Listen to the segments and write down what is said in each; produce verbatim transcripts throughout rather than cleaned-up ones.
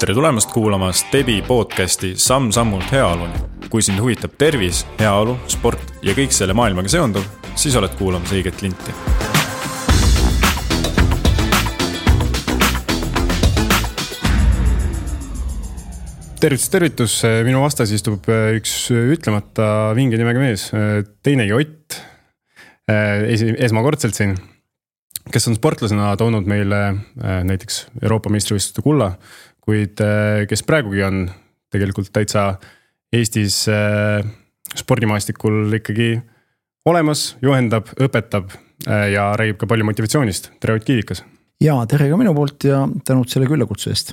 Tere tulemast kuulama Stebi podcasti Samm-sammult heaoluni. Kui sind huvitab tervis, heaolu, sport ja kõik selle maailmaga seonduv, siis oled kuulamas õiget linti. Tervitus, tervitus. Minu vastas istub üks ütlemata vinge nimega mees, teinegi Ott, esmakordselt siin, kes on sportlasena toonud meile näiteks Euroopa meistrivõistluste kulla, kuid kes praegugi on tegelikult täitsa Eestis spordimaastikul ikkagi olemas, juhendab, õpetab ja räägib ka palju motivatsioonist. Tere Ott Kiivikas. Ja, tere ka minu poolt ja tänud selle küllakutse eest.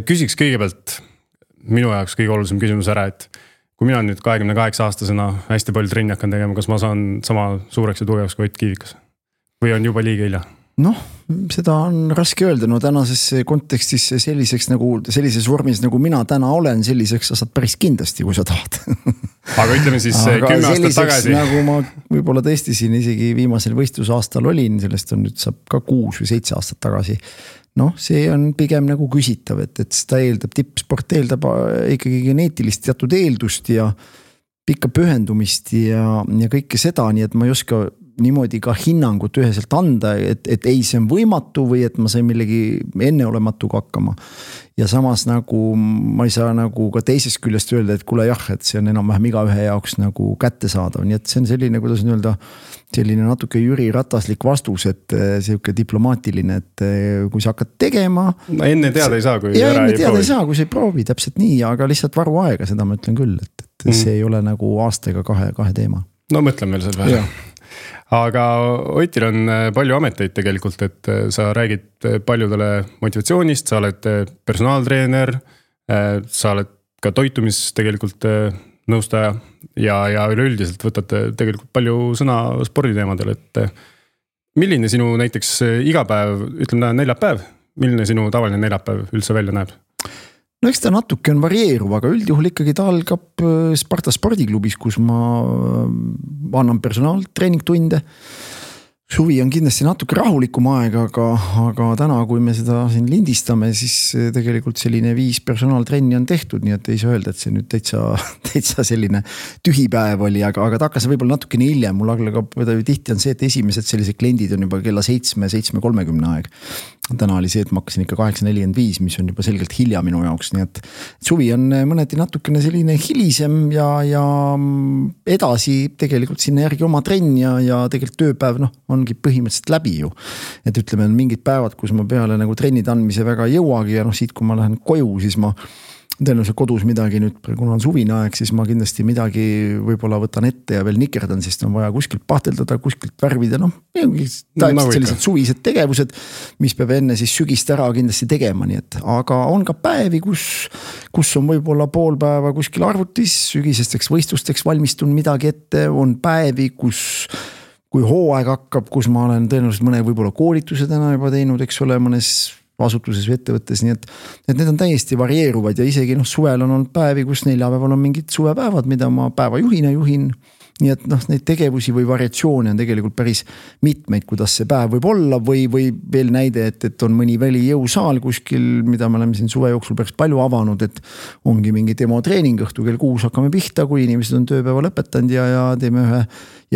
Küsiks kõigepealt minu jaoks kõige olulisem küsimus ära, et kui mina nüüd kahekümne kaheksa aastasena hästi palju trenni hakkan tegema, kas ma saan sama suureks ja tugevaks kui Ott Kiivikas? Või on juba liiga hilja? Noh, seda on raske öelda, no tänases kontekstis selliseks nagu, sellises vormis nagu mina täna olen, selliseks sa saad päris kindlasti, kui sa tahad. Aga ütleme siis aga kümme aastat tagasi. Nagu ma võib-olla tõesti siin isegi viimasel võistlusaastal olin, sellest on nüüd saab ka kuus või seitse aastat tagasi. Noh, see on pigem nagu küsitav, et, et seda eeldab, tippsport eeldab ikkagi geneetilist teatud eeldust ja pikka pühendumist ja, ja kõike seda, nii et ma ei oska niimoodi ka hinnangut üheselt anda, et, et ei see on võimatu või et ma sain millegi enneolematuga hakkama. Ja samas nagu ma ei saa nagu ka teisest küljest öelda, et kuule jah, et see on enam-vähem iga ühe jaoks nagu kätte saadav. Nii et see on selline, kuidas on öelda, selline natuke Jüri Rataslik vastus, et selline diplomaatiline, et kui sa hakkad tegema. No enne teada ei saa, kui ja ära enne ei teada proovi. ei saa, kui sa ei proovi, täpselt nii, aga lihtsalt varu aega, seda ma ütlen küll, et, et mm. see ei ole nagu aasta ega kahe, kahe teema. No mõtlen veel selle peale. Aga Otil on palju ameteid tegelikult, et sa räägid paljudele motivatsioonist, sa oled personaaltreener, sa oled ka toitumis tegelikult nõustaja ja, ja üleüldiselt võtad tegelikult palju sõna sporditeemadel, et milline sinu näiteks igapäev, ütleme neljapäev, milline sinu tavaline neljapäev üldse välja näeb? No eks ta natuke on varieeruv, aga üldjuhul ikkagi ta algab Sparta spordiklubis, kus ma annan personaaltreeningtunde. Suvi on kindlasti natuke rahulikum aeg, aga, aga täna, kui me seda siin lindistame, siis tegelikult selline viis personaaltrenni on tehtud, nii et ei saa öelda, et see nüüd täitsa, täitsa selline tühipäev oli, aga, aga ta hakkas võib-olla natuke nii hiljem. Mul aglegab, tihti on see, et esimesed sellised kliendid on juba kella seitsme, seitsme kolmekümne aeg. Täna oli see, et ma hakkasin ikka kaheksa nelikümmend viis, mis on juba selgelt hilja minu jaoks, nii et suvi on mõneti natukene selline hilisem ja, ja edasi tegelikult sinna järgi oma trenn ja, ja tegelikult tööpäev noh, ongi põhimõtteliselt läbi ju. Et ütleme, on mingid päevad, kus ma peale nagu trennid andmise väga jõuagi ja noh, siit kui ma lähen koju, siis ma tõenäoliselt kodus midagi nüüd, kuna on suvine aeg, siis ma kindlasti midagi võib-olla võtan ette ja veel nikerdan, sest on vaja kuskilt pahteldada, kuskilt värvida, noh, täiesti sellised suvised tegevused, mis peab enne siis sügist ära kindlasti tegema, nii et, aga on ka päevi, kus, kus on võib-olla pool päeva kuskil arvutis, sügisesteks võistlusteks valmistun midagi ette, on päevi, kus kui hooaeg hakkab, kus ma olen tõenäoliselt mõne võib-olla koolituse täna juba teinud, eks ole, mõnes asutuses või ettevõttes, nii et, et need on täiesti varieeruvad ja isegi noh, suvel on olnud päevi, kus neljapäeval on mingid suvepäevad, mida ma päevajuhina juhin, nii et noh, neid tegevusi või variatsioone on tegelikult päris mitmeid, kuidas see päev võib olla või, või veel näide, et, et on mõni välijõusaal kuskil, mida me oleme siin suve jooksul päris palju avanud, et ongi mingi demotreening õhtu kell kuus hakkame pihta, kui inimesed on tööpäeva lõpetanud ja, ja teeme ühe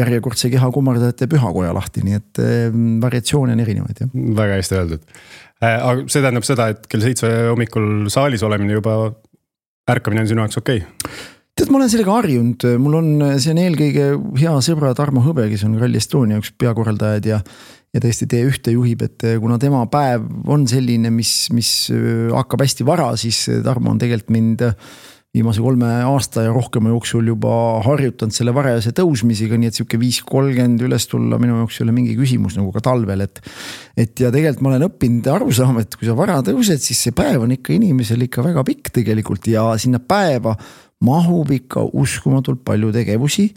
järjekordse keha kummardajate pühakoja lahti, nii et variatsioone on erinevaid. Ja. Väga hästi öeldud. Aga see tähendab seda, et kell seitse hommikul saalis olemine juba ärkamine on sinu jaoks okei? Tead, ma olen sellega harjunud, mul on, see on eelkõige hea sõbra Tarmo Hõbe, kes on Rally Estonia üks peakorraldajad ja, ja tõesti tee ühte juhib, et kuna tema päev on selline, mis, mis hakkab hästi vara, siis Tarmo on tegelikult mind viimase kolme aasta ja rohkema jooksul juba harjutanud selle varajase tõusmisega, nii et siuke viis kolmkümmend üles tulla minu jaoks ei ole mingi küsimus nagu ka talvel, et, et ja tegelikult ma olen õppinud aru saama, et kui sa vara tõused, siis see päev on ikka inimesel ikka väga pikk tegelikult ja sinna päeva mahub ikka uskumatult palju tegevusi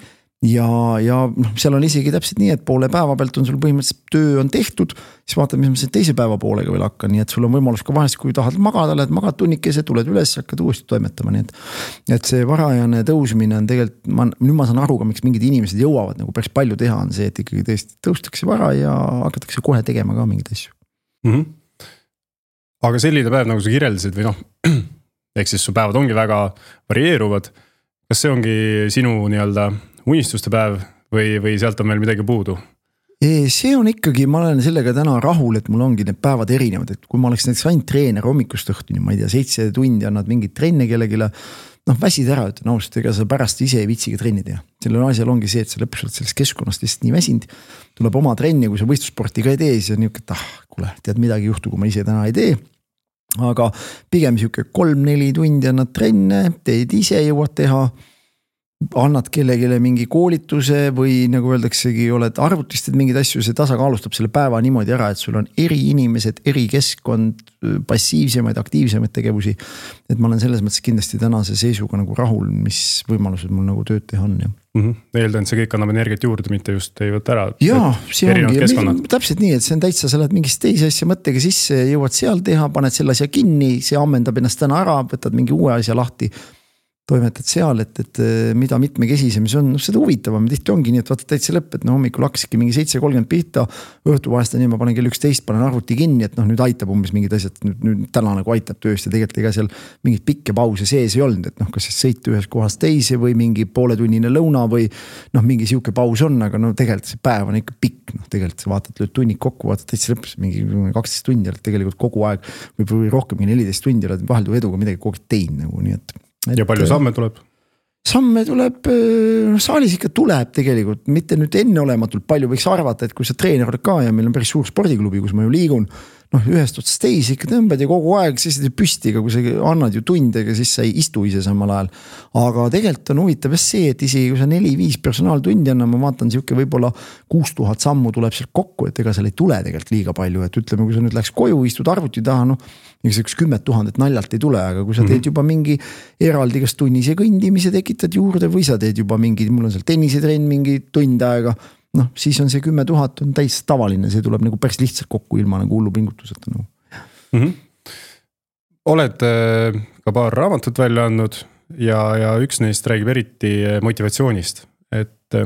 ja, ja noh, seal on isegi täpselt nii, et poole päeva pealt on sul põhimõtteliselt töö on tehtud, siis vaatad, mis ma selle teise päeva poolega veel hakkan, nii et sul on võimalus ka vahest, kui tahad magada, lähed magad tunnikese, tuled üles, hakkad uuesti toimetama, nii et, et see varajane tõusmine on tegelikult, ma, nüüd ma saan aru ka, miks mingid inimesed jõuavad nagu päris palju teha, on see, et ikkagi tõesti tõustakse vara ja hakatakse kohe tegema ka mingeid asju. Mm-hmm. aga selline päev, nagu sa kirjeldasid või noh, ehk siis su päevad ongi väga varieeruvad. Kas see ongi sinu nii-öelda unistuste päev või, või sealt on veel midagi puudu? See on ikkagi, ma olen sellega täna rahul, et mul ongi need päevad erinevad, et kui ma oleks näiteks ainult treener hommikust õhtuni, ma ei tea, seitse tundi annad mingit trenne kellegile, noh väsid ära, ütlen ausalt, ega sa pärast ise ei vitsiga trenni teha. Sellel asjal ongi see, et sa lõpuks oled sellest keskkonnast lihtsalt nii väsind, tuleb oma trenni, kui sa võistlussporti ka ei tee, siis on niuke, et ah, kuule, tead midagi juhtu, kui ma ise täna ei tee. Aga pigem siuke kolm-neli tundi annad trenne, teed ise jõuad teha, annad kellegile mingi koolituse või nagu öeldaksegi, oled arvutistid mingid asju, see tasakaalustab selle päeva niimoodi ära, et sul on eri inimesed, eri keskkond, passiivsemaid, aktiivsemaid tegevusi. Et ma olen selles mõttes kindlasti tänase seisuga nagu rahul, mis võimalused mul nagu tööd teha on. Ja. Mm-hmm. Eeldan, see kõik annab energiat juurde, mitte just ei võtta ära. Jaa, see ongi. Täpselt nii, et see on täitsa, sa lähed mingist teise asja mõttega sisse, jõuad seal teha, paned selle asja kinni, see ammendab ennast täna ära, võtad mingi uue asja lahti. Toimetad seal, et, et mida mitmekesisem see on, no seda huvitavam, tihti ongi nii, et vaata täitsa lõpp, et no hommikul hakkaski mingi seitse kolmkümmend pihta, õhtu vahest nii, ma panen kell üksteist, panen arvuti kinni, et noh, nüüd aitab umbes mingid asjad, nüüd, nüüd täna nagu aitab tööst ja tegelikult ega seal mingid pikke pause sees ei olnud, et noh, kas siis sõit ühes kohas teise või mingi pooletunnine lõuna või noh, mingi siuke paus on, aga no tegelikult see päev on ikka pikk, noh tegelikult sa vaatad, lööd tunnid kokku, vaatad täitsa lõpus mingi kaksteist tundi, tegelikult kogu aeg või rohkemgi neliteist tundi oled vaheldu eduga midagi kogu aeg tein nagu, nii et Et, ja palju samme tuleb? Samme tuleb, no saalis ikka tuleb tegelikult, mitte nüüd enneolematult palju võiks arvata, et kui sa treener oled ka ja meil on päris suur spordiklubi, kus ma ju liigun, noh ühest otsast teisi ikka tõmbad ja kogu aeg siis püsti, aga kui sa annad ju tundega, siis sa ei istu ise samal ajal. Aga tegelikult on huvitav see, et isegi kui sa neli-viis personaaltundi anna, ma vaatan siuke võib-olla kuus tuhat sammu tuleb sealt kokku, et ega seal ei tule tegelikult liiga palju, et ütleme, kui sa nüüd läks koju, istud arvuti taha, noh, üks kümmet tuhandet naljalt ei tule, aga kui sa teed juba mingi eraldi kas tunnise kõndimise tekitad juurde või sa teed juba mingi, mul on seal tennisetrenn mingi tund aega, noh, siis on see kümme tuhat on täis tavaline, see tuleb nagu päris lihtsalt kokku ilma nagu hullu pingutuseta. Nagu. Mm-hmm. Oled ka paar raamatut välja andnud ja, ja üks neist räägib eriti motivatsioonist, et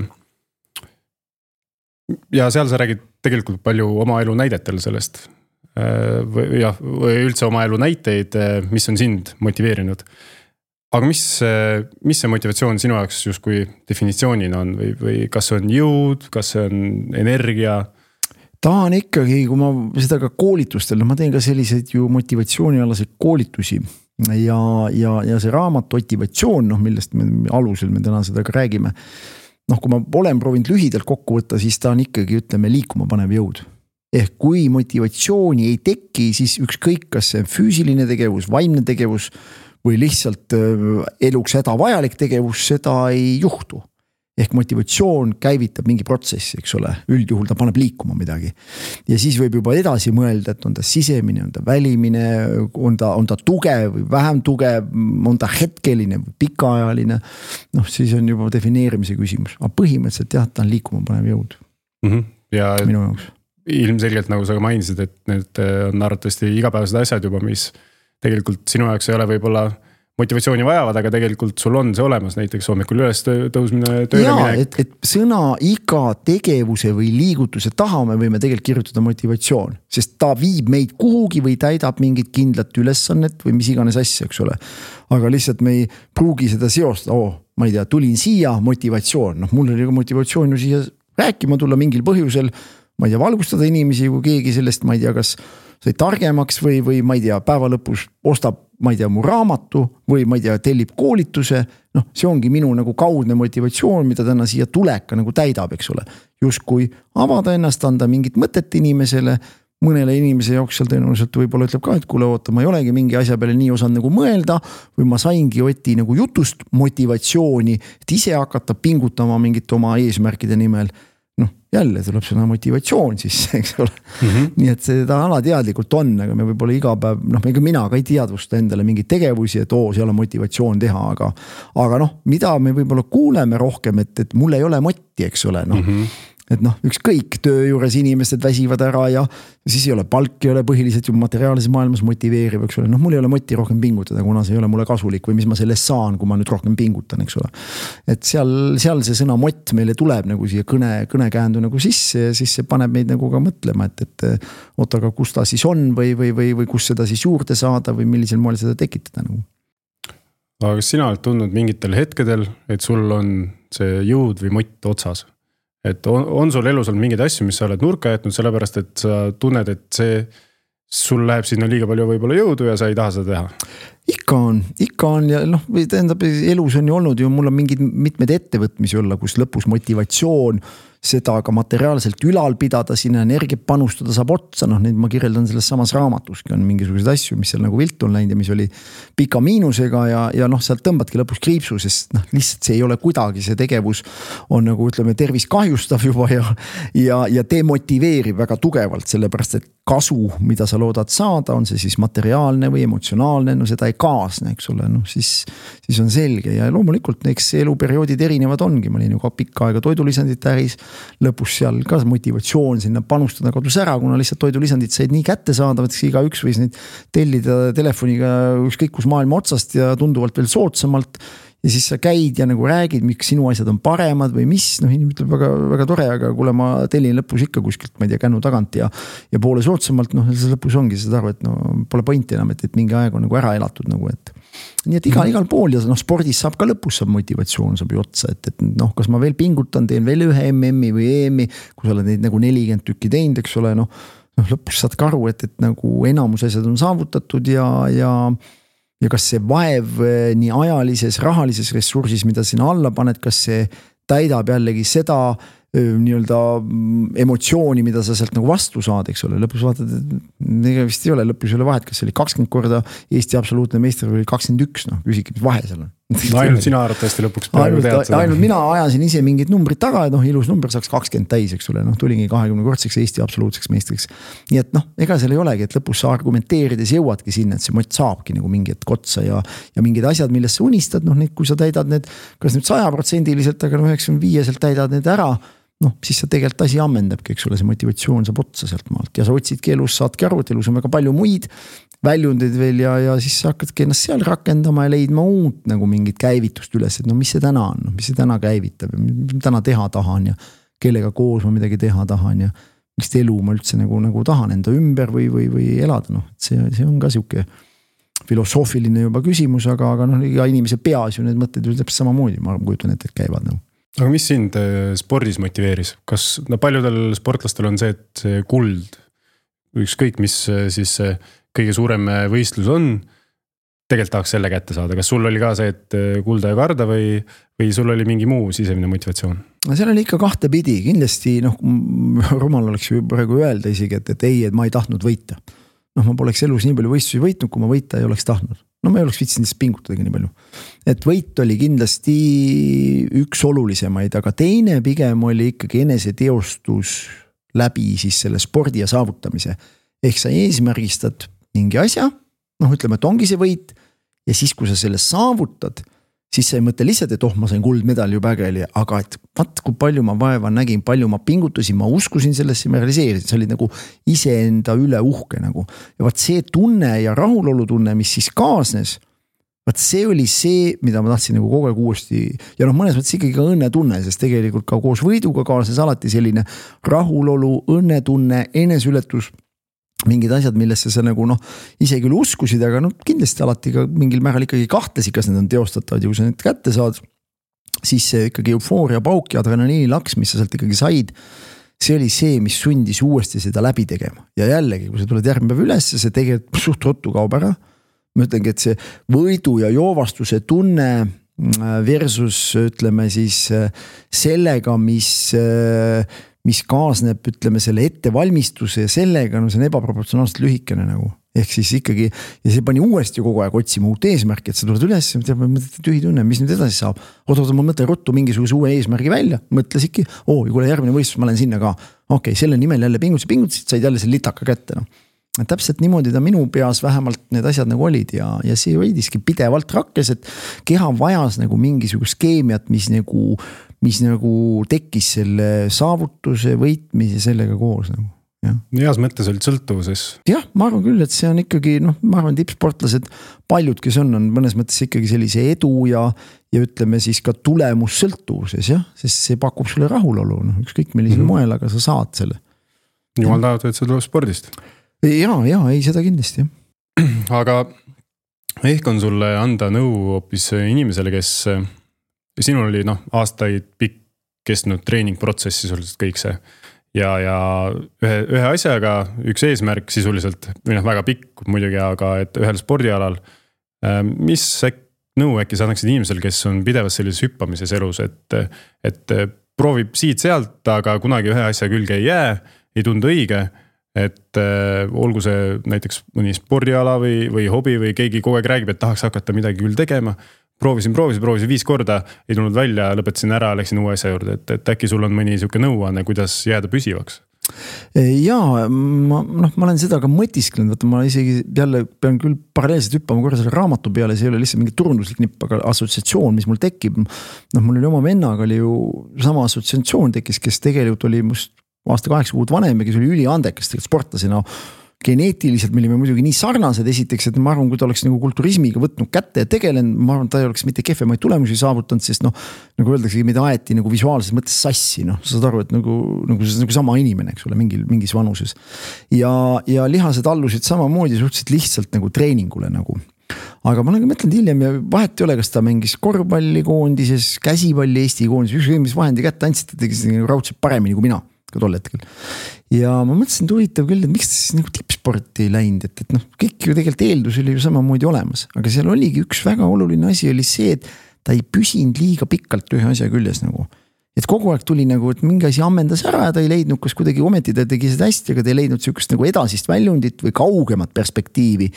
ja seal sa räägid tegelikult palju oma elu näidetel sellest või, jah, või üldse oma elu näiteid, mis on sind motiveerinud. Aga mis, mis see motivatsioon sinu jaoks justkui definitsioonina on või, või kas see on jõud, kas see on energia? Ta on ikkagi, kui ma seda ka koolitustel, ma teen ka selliseid ju motivatsioonialaseid koolitusi ja, ja, ja see raamat motivatsioon, noh, millest me alusel me täna seda ka räägime. Noh, kui ma olen proovinud lühidalt kokku võtta, siis ta on ikkagi, ütleme, liikuma panev jõud. Ehk kui motivatsiooni ei teki, siis ükskõik, kas see on füüsiline tegevus, vaimne tegevus või lihtsalt eluks häda vajalik tegevus, seda ei juhtu. Ehk motivatsioon käivitab mingi protsessi, eks ole, üldjuhul ta paneb liikuma midagi. Ja siis võib juba edasi mõelda, et on ta sisemine, on ta välimine, on ta, on ta tugev või vähem tugev, on ta hetkeline või pikaajaline. Noh, siis on juba defineerimise küsimus. Aga põhimõtteliselt jah, ta on liikuma panev jõud. Mm-hmm. Ja minu jaoks. Ilmselgelt, nagu sa ka mainisid, et need on arvatavasti igapäevased asjad juba, mis tegelikult sinu jaoks ei ole võib-olla motivatsiooni vajavad, aga tegelikult sul on see olemas, näiteks hommikul üles tõusmine, tööle Jaa, minek. Et, et sõna iga tegevuse või liigutuse taha me võime tegelikult kirjutada motivatsioon, sest ta viib meid kuhugi või täidab mingit kindlat ülesannet või mis iganes asja, eks ole. Aga lihtsalt me ei pruugi seda seosta, oh, ma ei tea, tulin siia, motivatsioon, noh, mul oli ka motivatsioon ju siia rääkima tulla mingil põhjusel, ma ei tea, valgustada inimesi, kui keegi sellest, ma ei tea, kas sai targemaks või, või ma ei tea, päeva lõpus ostab, ma ei tea, mu raamatu või ma ei tea, tellib koolituse, noh, see ongi minu nagu kaudne motivatsioon, mida täna siia tuleka nagu täidab, eks ole. Just kui avada ennast, anda mingit mõtet inimesele, mõnele inimese jaoks seal tõenäoliselt võib-olla ütleb ka, et kuule oota, ma ei olegi mingi asja peale nii osanud nagu mõelda või ma saingi Oti nagu jutust motivatsiooni, et ise hakata pingutama mingit oma eesmärkide nimel. Noh, jälle tuleb sõna motivatsioon siis, eks ole. Mm-hmm. Nii et seda alateadlikult on, aga me võib-olla iga päev, noh, ega mina ka ei teadvusta endale mingi tegevusi, et oo, seal on motivatsioon teha, aga, aga noh, mida me võib-olla kuuleme rohkem, et, et mul ei ole motti, eks ole, noh. Mm-hmm. et noh, ükskõik töö juures inimesed väsivad ära ja siis ei ole palk, ei ole põhiliselt ju materiaalses maailmas motiveeriv, eks ole. Noh, mul ei ole moti rohkem pingutada, kuna see ei ole mulle kasulik või mis ma sellest saan, kui ma nüüd rohkem pingutan, eks ole. Et seal, seal see sõna mott meile tuleb nagu siia kõne, kõnekäändu nagu sisse ja siis see paneb meid nagu ka mõtlema, et, et oota, aga kus ta siis on või, või, või, või kus seda siis juurde saada või millisel moel seda tekitada nagu. Aga kas sina oled tundnud mingitel hetkedel, et sul on see jõud või mott otsas? Et on, on sul elus olnud mingeid asju, mis sa oled nurka jätnud, sellepärast et sa tunned, et see, sul läheb sinna liiga palju võib-olla jõudu ja sa ei taha seda teha? Ikka on, ikka on ja noh, tähendab, elus on ju olnud ju, mul on mingid mitmed ettevõtmisi olla, kus lõpus motivatsioon seda ka materiaalselt ülal pidada, sinna energiat panustada saab otsa, noh neid ma kirjeldan selles samas raamatuski on mingisugused asju, mis seal nagu viltu on läinud ja mis oli pika miinusega ja, ja noh, sealt tõmbadki lõpus kriipsu, sest noh, lihtsalt see ei ole kuidagi, see tegevus on nagu ütleme tervis kahjustav juba ja, ja, ja demotiveerib väga tugevalt, sellepärast et kasu, mida sa loodad saada, on see siis materiaalne või emotsionaalne, no seda ei kaasne, eks ole, noh siis, siis on selge ja loomulikult eks eluperioodid erinevad ongi, ma olin ju ka pikka aega toidulisandite äris, lõpus seal ka motivatsioon sinna panustada kadus ära, kuna lihtsalt toidulisandid said nii kättesaadavad, eks iga üks võis neid tellida telefoniga ükskõik kus maailma otsast ja tunduvalt veel soodsamalt ja siis sa käid ja nagu räägid, miks sinu asjad on paremad või mis, noh inimene ütleb väga, väga tore, aga kuule ma tellin lõpus ikka kuskilt, ma ei tea, kännu tagant ja, ja poole soodsamalt, noh lõpus ongi seda arvu, et no pole pointi enam, et, et mingi aeg on nagu ära elatud nagu, et nii et igal, igal pool ja noh, spordis saab ka lõpus saab motivatsioon saab ju otsa, et, et noh, kas ma veel pingutan, teen veel ühe M M-i või E M-i, kui sa oled neid nagu nelikümmend tükki teinud, eks ole, noh, noh lõpus saad ka aru, et, et nagu enamus asjad on saavutatud ja, ja ja kas see vaev nii ajalises, rahalises ressursis, mida sinna alla paned, kas see täidab jällegi seda nii-öelda emotsiooni, mida sa sealt nagu vastu saad, eks ole, lõpus vaatad, et vist ei ole, lõpus ei ole vahet, kas see oli kakskümmend korda Eesti absoluutne meister või kakskümmend üks, noh, küsigi, mis vahe seal on. No, ainult sina arvatavasti lõpuks ainult, ainult mina ajasin ise mingid numbrid taga, et noh, ilus number saaks kakskümmend täis, eks ole, noh, tulingi kahekümne kordseks Eesti absoluutseks meistriks. Nii et noh, ega seal ei olegi, et lõpus sa argumenteerides jõuadki sinna, et see mott saabki nagu mingi hetk otsa ja, ja mingid asjad, millest sa unistad, noh, need, kui sa täidad need, kas nüüd saja protsendiliselt, aga noh, üheksakümne viieselt täidad need ära, noh, siis sa tegelikult asi ammendabki, eks ole, see motivatsioon saab otsa sealt maalt ja sa otsidki elus, saadki aru, et elus on väga palju muid väljundeid veel ja, ja siis sa hakkadki ennast seal rakendama ja leidma uut nagu mingit käivitust üles, et no mis see täna on, mis see täna käivitab ja mis ma täna teha tahan ja kellega koos ma midagi teha tahan ja mis elu ma üldse nagu, nagu tahan enda ümber või, või, või elada, noh, et see, see on ka siuke filosoofiline juba küsimus, aga, aga noh, iga inimese peas ju need mõtted ju täpselt samamoodi, ma kujutan ette, et käivad nagu. Aga mis sind spordis motiveeris? Kas no paljudel sportlastel on see, et see kuld, ükskõik mis siis kõige suurem võistlus on, tegelikult tahaks selle kätte saada. Kas sul oli ka see, et kulda ja karda või, või sul oli mingi muu sisemine motivatsioon? No seal oli ikka kahte pidi, kindlasti noh, rumal oleks ju praegu öelda isegi, et, et ei, et ma ei tahtnud võita. Noh, ma poleks elus nii palju võistlusi võitnud, kui ma võita ei oleks tahtnud. No ma ei oleks viitsinud lihtsalt pingutadagi nii palju. Et võit oli kindlasti üks olulisemaid, aga teine pigem oli ikkagi eneseteostus läbi siis selle spordi ja saavutamise. Ehk sa eesmärgistad mingi asja, noh ütleme, et ongi see võit ja siis, kui sa selle saavutad, siis sa ei mõtle lihtsalt, et oh, ma sain kuldmedali ju pägeli, aga et vaat kui palju ma vaeva nägin, palju ma pingutusin, ma uskusin sellesse, ma realiseerisin, see oli nagu iseenda üle uhke nagu. Ja vaat see tunne ja rahulolu tunne, mis siis kaasnes, vaat see oli see, mida ma tahtsin nagu kogu aeg uuesti ja noh, mõnes mõttes ikkagi ka õnnetunne, sest tegelikult ka koos võiduga kaasnes alati selline rahulolu, õnnetunne, enesületus, mingid asjad, millesse sa nagu noh, ise küll uskusid, aga noh, kindlasti alati ka mingil määral ikkagi kahtlesid, kas need on teostatavad ja kui sa need kätte saad, siis see ikkagi eufooria pauk ja adrenaliini laks, mis sa sealt ikkagi said, see oli see, mis sundis uuesti seda läbi tegema. Ja jällegi, kui sa tuled järgmine päev üles, see tegelikult suht ruttu kaob ära. Ma ütlengi, et see võidu ja joovastuse tunne versus ütleme siis sellega, mis mis kaasneb, ütleme, selle ettevalmistuse ja sellega, no see on ebaproportsionaalselt lühikene nagu. Ehk siis ikkagi, ja see pani uuesti kogu aeg otsima uut eesmärki, et sa tuled üles, mõtled tühi tunne, mis nüüd edasi saab. Oota, oota, ma mõtlen ruttu mingisuguse uue eesmärgi välja, mõtlesidki, oo, ja kuule järgmine võistlus, ma lähen sinna ka. Okei, selle nimel jälle pingutusi, pingutusid, said jälle selle litaka kätte. No. Täpselt niimoodi ta minu peas vähemalt need asjad nagu olid ja, ja see võidiski pidevalt rakkes, et keha vajas nagu mingisugust keemiat, mis nagu mis nagu tekkis selle saavutuse, võitmise sellega koos nagu. Ja. Heas mõttes olid sõltuvuses. Jah, ma arvan küll, et see on ikkagi, noh, ma arvan tippsportlased, paljud, kes on, on mõnes mõttes ikkagi sellise edu ja, ja ütleme siis ka tulemus sõltuvuses, jah, sest see pakub sulle rahulolu, noh, ükskõik millisel mm-hmm. moel, aga sa saad selle. Jumal tahab, et see tuleb spordist. Ja, ja, ei seda kindlasti. Aga ehk on sulle anda nõu hoopis inimesele, kes sinul oli, noh, aastaid pikk kestnud treeningprotsessi sisuliselt kõik see. Ja, ja ühe, ühe asjaga, üks eesmärk sisuliselt, või noh, väga pikk muidugi, aga et ühel spordialal, mis äk, nõu äkki sa annaksid inimesel, kes on pidevas sellises hüppamises elus, et, et proovib siit sealt, aga kunagi ühe asja külge ei jää, ei tundu õige, et äh, olgu see näiteks mõni spordiala või, või hobi või keegi kogu aeg räägib, et tahaks hakata midagi küll tegema. Proovisin, proovisin, proovisin viis korda, ei tulnud välja, lõpetasin ära, läksin uue asja juurde, et, et äkki sul on mõni siuke nõuanne, kuidas jääda püsivaks? Jaa, ma, noh, ma olen seda ka mõtisklenud, vaata ma isegi jälle pean küll paralleelselt hüppama korra selle raamatu peale, see ei ole lihtsalt mingi turunduslik nipp, aga assotsiatsioon, mis mul tekib, noh, mul oli oma vennaga oli ju sama assotsiatsioon tekkis, kes tegelikult oli must aasta kaheksa kuud vanem ja kes oli üli andekas tegelikult sportlasena. Geneetiliselt me olime muidugi nii sarnased esiteks, et ma arvan, kui ta oleks nagu kulturismiga võtnud kätte ja tegelen, ma arvan, ta ei oleks mitte kehvemaid tulemusi saavutanud, sest noh, nagu öeldakse, mida aeti nagu visuaalses mõttes sassi, noh, sa saad aru, et nagu, nagu, nagu sama inimene, eks ole, mingil, mingis vanuses. Ja, ja lihased allusid samamoodi suhteliselt lihtsalt nagu treeningule nagu. Aga ma nagu mõtlen hiljem ja vahet ei ole, kas ta mängis korvpalli koondises, käsipalli Eesti koondises, ükskõik mis vahendi kätte andsid, ta tegi raudselt paremini kui mina. Ka tol hetkel. Ja ma mõtlesin, et huvitav küll, et miks ta siis nagu tippsporti ei läinud, et, et noh, kõik ju tegelikult eeldus oli ju samamoodi olemas, aga seal oligi üks väga oluline asi oli see, et ta ei püsinud liiga pikalt ühe asja küljes nagu. Et kogu aeg tuli nagu, et mingi asi ammendas ära ja ta ei leidnud, kas kuidagi ometi ta tegi seda hästi, aga ta ei leidnud sükust nagu edasist väljundit või kaugemat perspektiivi.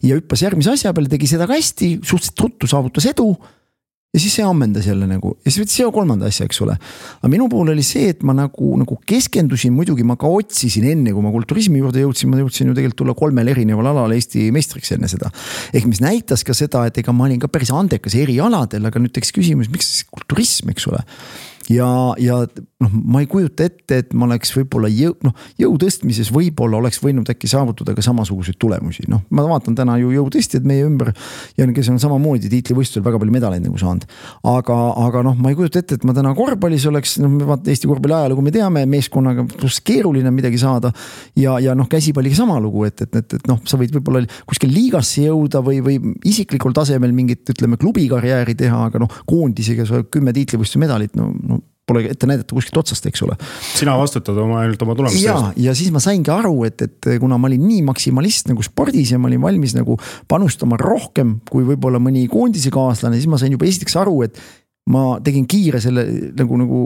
Ja hüppas järgmise asja peale, tegi seda ka hästi, suhteliselt ruttu saavutas edu. Ja siis see ammendas jälle nagu, ja siis võttis see kolmanda asja, eks ole. Aga minu pool oli see, et ma nagu, nagu keskendusin, muidugi ma ka otsisin enne, kui ma kulturismi juurde jõudsin, ma jõudsin ju tegelikult tulla kolmel erineval alal Eesti meistriks enne seda. Ehk mis näitas ka seda, et ega ma olin ka päris andekas eri aladel, aga nüüd teks küsimus, miks siis kulturism, eks ole. Ja, ja noh, ma ei kujuta ette, et ma oleks võib-olla jõu, noh, jõu tõstmises võib-olla oleks võinud äkki saavutada ka samasuguseid tulemusi. Noh, ma vaatan täna ju jõutõstjad meie ümber ja kes on samamoodi tiitlivõistlusel väga palju medaleid nagu saanud. Aga, aga noh, ma ei kujuta ette, et ma täna korvpallis oleks, noh, vaata Eesti korvpalli ajalugu me teame, meeskonnaga plus keeruline midagi saada ja, ja noh, käsipalliga sama lugu, et, et, et, et noh, sa võid võib-olla kuskil liigasse jõuda või, või isiklikul tasemel mingit, ütleme, klubikarjääri teha, aga noh, koondisega sa kümme tiitlivõistluse medalit, no, no pole ette näidata kuskilt otsast, eks ole. Sina vastutad oma, ainult oma tulemust. Ja, ja siis ma saingi aru, et, et kuna ma olin nii maksimalist nagu spordis ja ma olin valmis nagu panustama rohkem kui võib-olla mõni koondise kaaslane, siis ma sain juba esiteks aru, et ma tegin kiire selle nagu, nagu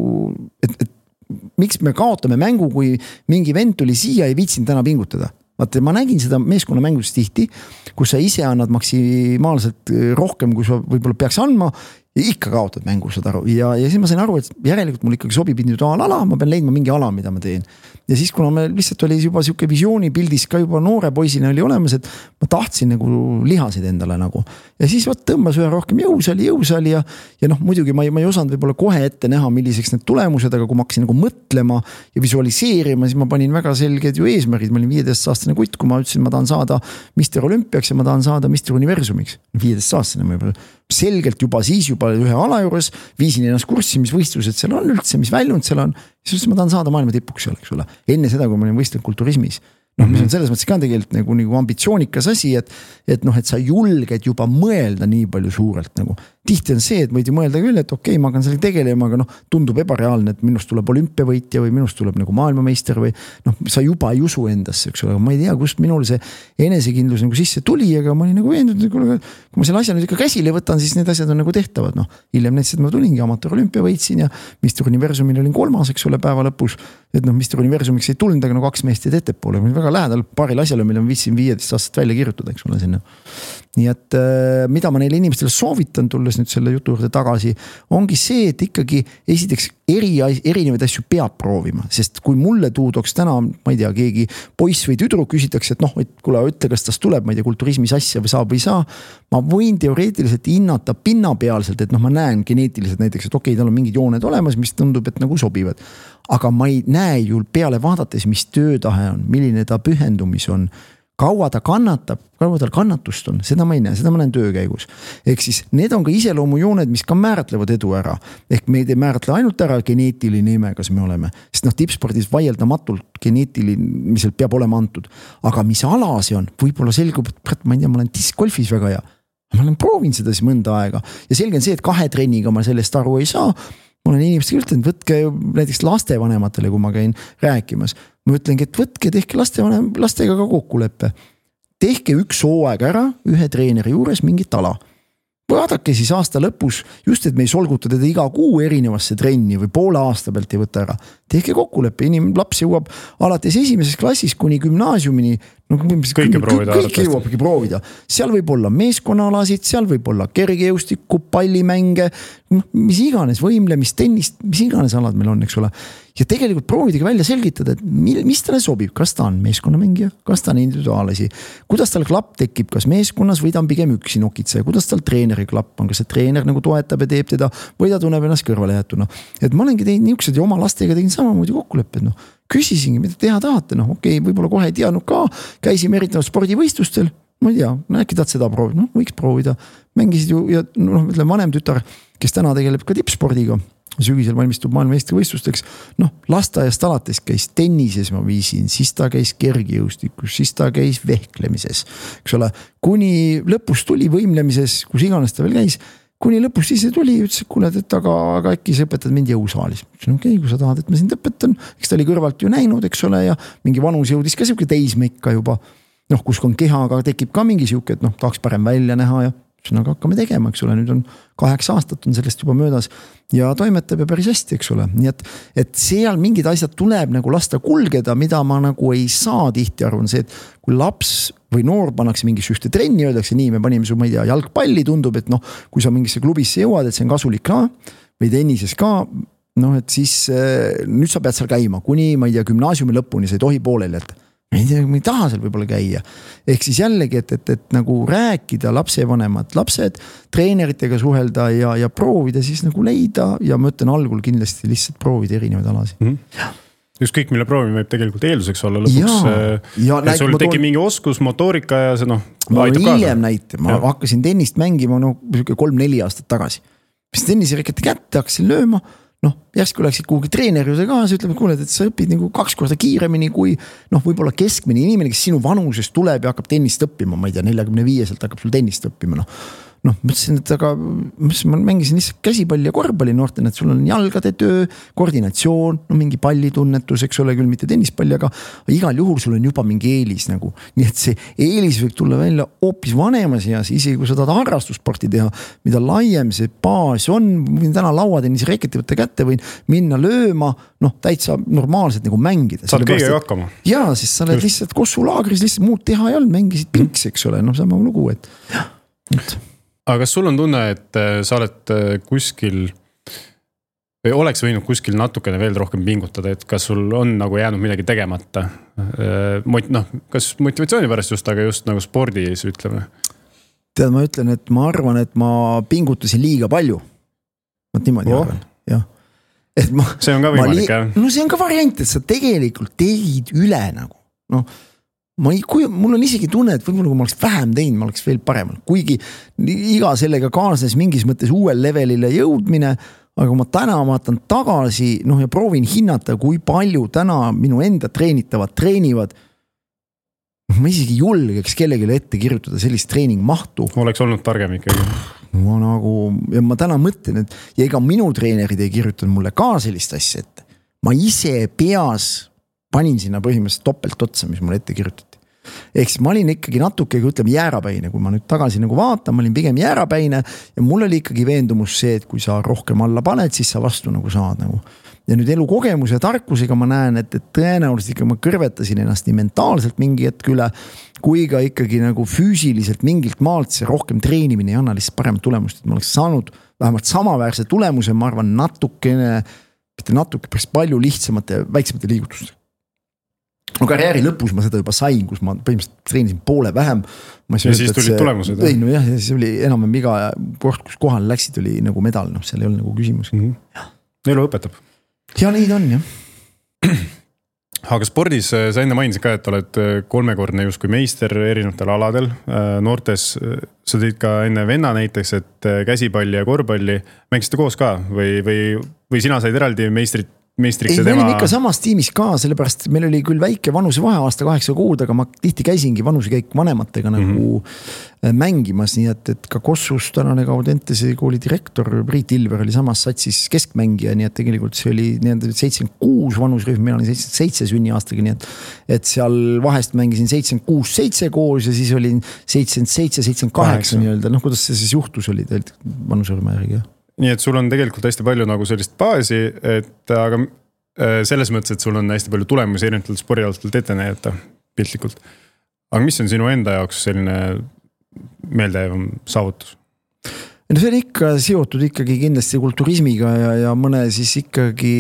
et, et miks me kaotame mängu, kui mingi vend tuli siia ei viitsin täna pingutada. Vaata, ma nägin seda meeskonna mängus tihti, kus sa ise annad maksimaalselt rohkem, kui sa võib-olla peaks andma ja ikka kaotad mängu, saad aru. Ja, ja siis ma sain aru, et järelikult mul ikkagi sobib individuaalala, ma pean leidma mingi ala, mida ma teen. Ja siis, kuna me lihtsalt oli juba siuke visiooni pildis ka juba noore poisina oli olemas, et ma tahtsin nagu lihasid endale nagu. Ja siis võt tõmbas ühe rohkem jõusali, jõusali ja, ja noh, muidugi ma ei, ma ei osanud võib-olla kohe ette näha, milliseks need tulemused, aga kui ma hakkasin nagu mõtlema ja visualiseerima, siis ma panin väga selged ju eesmärgid. Ma olin viieteist aastane kutt, kui ma ütlesin, ma tahan saada mister Olümpiaks ja ma tahan saada mister Universumiks. viieteist aastane ma juba selgelt juba siis juba ühe ala juures viisin ennast kurssi, mis võistlused seal on üldse, mis väljund seal on. Siis ma tahan saada maailma tipuks seal, eks ole. Enne seda, kui ma olin võistlenud kulturismis. Noh, mis on selles mõttes ka tegelikult nagu, nagu ambitsioonikas asi, et, et noh, et sa julged juba mõelda nii palju suurelt nagu. Tihti on see, et võid ju mõelda küll, et okei, ma hakkan selle tegelema, aga noh, tundub ebareaalne, et minust tuleb olümpiavõitja või minust tuleb nagu maailmameister või noh, sa juba ei usu endasse, eks ole, ma ei tea, kust minul see enesekindlus nagu sisse tuli, aga ma olin nagu veendunud, kui ma selle asja nüüd ikka käsile võtan, siis need asjad on nagu tehtavad, noh. Hiljem näiteks, et ma tulingi amatöör olümpia võitsin ja mister Universumil olin kolmas, eks ole, päeva lõpus, et noh, mister Universumiks ei tulnud, aga no kaks meest jäid ettepoole, väga lähedal paaril asjale, mille ma viitsin viieteist aastat välja kirjutada, eks ole, sinna. nii et mida ma neile inimestele soovitan, tulles nüüd selle jutu juurde tagasi, ongi see, et ikkagi esiteks eri, erinevaid asju peab proovima, sest kui mulle tuudoks täna, ma ei tea, keegi poiss või tüdruk küsitakse, et noh, et kuule, ütle, kas tas tuleb, ma ei tea, kulturismis asja või saab või saa, ma võin teoreetiliselt hinnata pinnapealselt, et noh, ma näen geneetiliselt näiteks, et okei, tal on mingid jooned olemas, mis tundub, et nagu sobivad, aga ma ei näe ju peale vaadates, mis töötahe on, milline ta pühendumis on, kaua ta kannatab, kaua tal kannatust on, seda ma ei näe, seda ma näen töö käigus. Ehk siis need on ka iseloomujooned, mis ka määratlevad edu ära. Ehk me ei määratle ainult ära geneetiline ime, kas me oleme. Sest noh, tippspordis vaieldamatult geneetiliselt peab olema antud. Aga mis ala see on, võib-olla selgub, et ma ei tea, ma olen diskgolfis väga hea. Ma olen proovinud seda siis mõnda aega. Ja selge on see, et kahe trenniga ma sellest aru ei saa. Ma olen inimestega ütelnud, võtke näiteks lastevanematele, kui ma käin rääkimas. Ma ütlengi, et võtke, tehke lastevanem, lastega ka kokkuleppe. Tehke üks hooaeg ära ühe treeneri juures mingit ala. Vaadake siis aasta lõpus, just et me ei solguta teda iga kuu erinevasse trenni või poole aasta pealt ei võta ära. Tehke kokkuleppe, inim laps jõuab alates esimeses klassis kuni gümnaasiumini. No, kõike proovida. Kõike jõuabki proovida. Seal võib olla meeskonnaalasid, seal võib olla kergejõustikku, pallimänge, mis iganes võimlemist, tennist, mis iganes alad meil on, eks ole. Ja tegelikult proovidagi välja selgitada, et mis talle sobib, kas ta on meeskonnamängija, kas ta on individuaalasi, kuidas tal klapp tekib, kas meeskonnas või ta on pigem üksi nokitse, kuidas tal treeneri klapp on, kas see treener nagu toetab ja teeb teda või ta tunneb ennast kõrvale jätuna. Et ma olengi teinud niisugused ja oma lastega tegin samamoodi kokkulepped, noh. Küsisingi, mida teha tahate, noh okei, võib-olla kohe ei teadnud ka, käisime erinevad spordivõistlustel, ma ei tea, äkki tahad seda proovida, noh võiks proovida, mängisid ju ja noh, ütleme vanem tütar, kes täna tegeleb ka tippspordiga, sügisel valmistub maailmameistrivõistlusteks, noh lasteaiast alates käis tennises ma viisin, siis ta käis kergejõustikus, siis ta käis vehklemises, eks ole, kuni lõpus tuli võimlemises, kus iganes ta veel käis, kuni lõpus siis tuli ja ütles, et kuule, et aga, aga äkki sa õpetad mind jõusaalis. Okei, okay, kui sa tahad, et ma sind õpetan, eks ta oli kõrvalt ju näinud, eks ole, ja mingi vanus jõudis ka siuke teismeikka juba, noh, kus on keha, aga tekib ka mingi siuke, et noh, tahaks parem välja näha ja aga hakkame tegema, eks ole, nüüd on kaheksa aastat on sellest juba möödas ja toimetab ja päris hästi, eks ole. Nii et, et seal mingid asjad tuleb nagu lasta kulgeda, mida ma nagu ei saa tihti arvan see, et kui laps või noor pannakse mingisse ühte trenni, öeldakse nii, me panime su, ma ei tea, jalgpalli, tundub, et noh, kui sa mingisse klubisse jõuad, et see on kasulik ka või tennises ka, noh, et siis nüüd sa pead seal käima, kuni, ma ei tea, gümnaasiumi lõpuni, sa ei tohi pooleli jätta. Ma ei tea, ma ei taha seal võib-olla käia. Ehk siis jällegi, et, et, et nagu rääkida lapsevanemad, lapsed, treeneritega suhelda ja, ja proovida siis nagu leida ja ma ütlen algul kindlasti lihtsalt proovida erinevaid alasi. Mm-hmm. Just kõik, mille proovime võib tegelikult eelduseks olla lõpuks. Ja, ja, et sul tekib toon... mingi oskus, motoorika ja see noh, aitab kaasa. Hiljem näite, ma ja. hakkasin tennist mängima no, kolm-neli aastat tagasi. Mis tennisireket kätte hakkasin lööma, noh, järsku läksid kuhugi treeneri juurde ka, sa ütleb, et kuule, et sa õpid nagu kaks korda kiiremini kui noh, võib-olla keskmine inimene, kes sinu vanusest tuleb ja hakkab tennist õppima, ma ei tea, neljakümne viieselt hakkab sul tennist õppima, noh. Noh, mõtlesin, et aga ma mängisin lihtsalt käsipalli ja korvpalli noortena, et sul on jalgade töö, koordinatsioon, no mingi pallitunnetus, eks ole küll mitte tennispalli, aga igal juhul sul on juba mingi eelis nagu. Nii et see eelis võib tulla välja hoopis vanemas eas, isegi kui sa tahad harrastussporti teha, mida laiem see baas on, võin täna lauatennise reketi võtta kätte, võin minna lööma, noh, täitsa normaalselt nagu mängida. Saad kõige hakkama. Jaa, siis sa oled lihtsalt kossulaagris, lihtsalt muud teha ei olnud, mängisid pinks, eks ole, noh, sama lugu, et jah, et aga kas sul on tunne, et sa oled kuskil või oleks võinud kuskil natukene veel rohkem pingutada, et kas sul on nagu jäänud midagi tegemata? Noh, kas motivatsiooni pärast just, aga just nagu spordis ütleme? Tead, ma ütlen, et ma arvan, et ma pingutasin liiga palju. Ma niimoodi oh. arvan, jah. Et ma, see on ka võimalik, jah? No see on ka variant, et sa tegelikult tegid üle nagu, noh, ma ei, kui, mul on isegi tunne, et võib-olla kui ma oleks vähem teinud, ma oleks veel paremal. Kuigi iga sellega kaasnes mingis mõttes uuel levelile jõudmine, aga ma täna vaatan tagasi, noh ja proovin hinnata, kui palju täna minu enda treenitavad treenivad. Ma isegi julgeks kellelegi ette kirjutada sellist treeningmahtu. Oleks olnud targem ikkagi. Ma nagu, ja ma täna mõtlen, et ja ega minu treenerid ei kirjutanud mulle ka sellist asja ette. Ma ise peas panin sinna põhimõtteliselt topelt otsa, mis mulle ette kirjutati. Ehk siis ma olin ikkagi natuke, kui ütleme, jäärapäine, kui ma nüüd tagasi nagu vaatan, ma olin pigem jäärapäine ja mul oli ikkagi veendumus see, et kui sa rohkem alla paned, siis sa vastu nagu saad nagu. ja nüüd elukogemuse ja tarkusega ma näen, et, et tõenäoliselt ikka ma kõrvetasin ennast nii mentaalselt mingi hetk üle, kui ka ikkagi nagu füüsiliselt mingilt maalt see rohkem treenimine ei anna lihtsalt paremat tulemust, et ma oleks saanud vähemalt samaväärse tulemuse, ma arvan natukene, mitte natuke, päris palju lihtsamate, väiksemate liigutuste. No karjääri lõpus ma seda juba sain, kus ma põhimõtteliselt treenisin poole vähem. Ma ja siis tulid tulemused. Ei, no jah, ja siis oli enam iga kord, kus kohal läksid, oli nagu medal, noh, seal ei olnud nagu küsimus. Mm-hmm. Elu õpetab. Ja neid on, jah. Aga spordis sa enne mainisid ka, et oled kolmekordne justkui meister erinevatel aladel. Noortes sa tõid ka enne venna näiteks, et käsipalli ja korvpalli mängisite koos ka või, või, või sina said eraldi meistrit meistriks ei, ja tema... me olime ikka samas tiimis ka, sellepärast meil oli küll väike vanuse vahe aasta kaheksa kuud, aga ma tihti käisingi vanusekäik vanematega nagu mm-hmm. mängimas, nii et, et ka Kossus tänane Gaudentese kooli direktor Priit Ilver oli samas satsis keskmängija, nii et tegelikult see oli seitsekümmend kuus vanusrühm, mina olin seitsekümmend seitse sünniaastaga, nii et, et seal vahest mängisin seitsekümmend kuus seitse koos ja siis olin seitsekümmend seitse seitsekümmend kaheksa nii-öelda, noh kuidas see siis juhtus oli teilt vanusrühma järgi, jah? Nii et sul on tegelikult hästi palju nagu sellist baasi, et aga selles mõttes, et sul on hästi palju tulemusi erinevatelt spordialastelt ette näidata piltlikult. Aga mis on sinu enda jaoks selline meeldejäävam saavutus? No see on ikka seotud ikkagi kindlasti kulturismiga ja, ja mõne siis ikkagi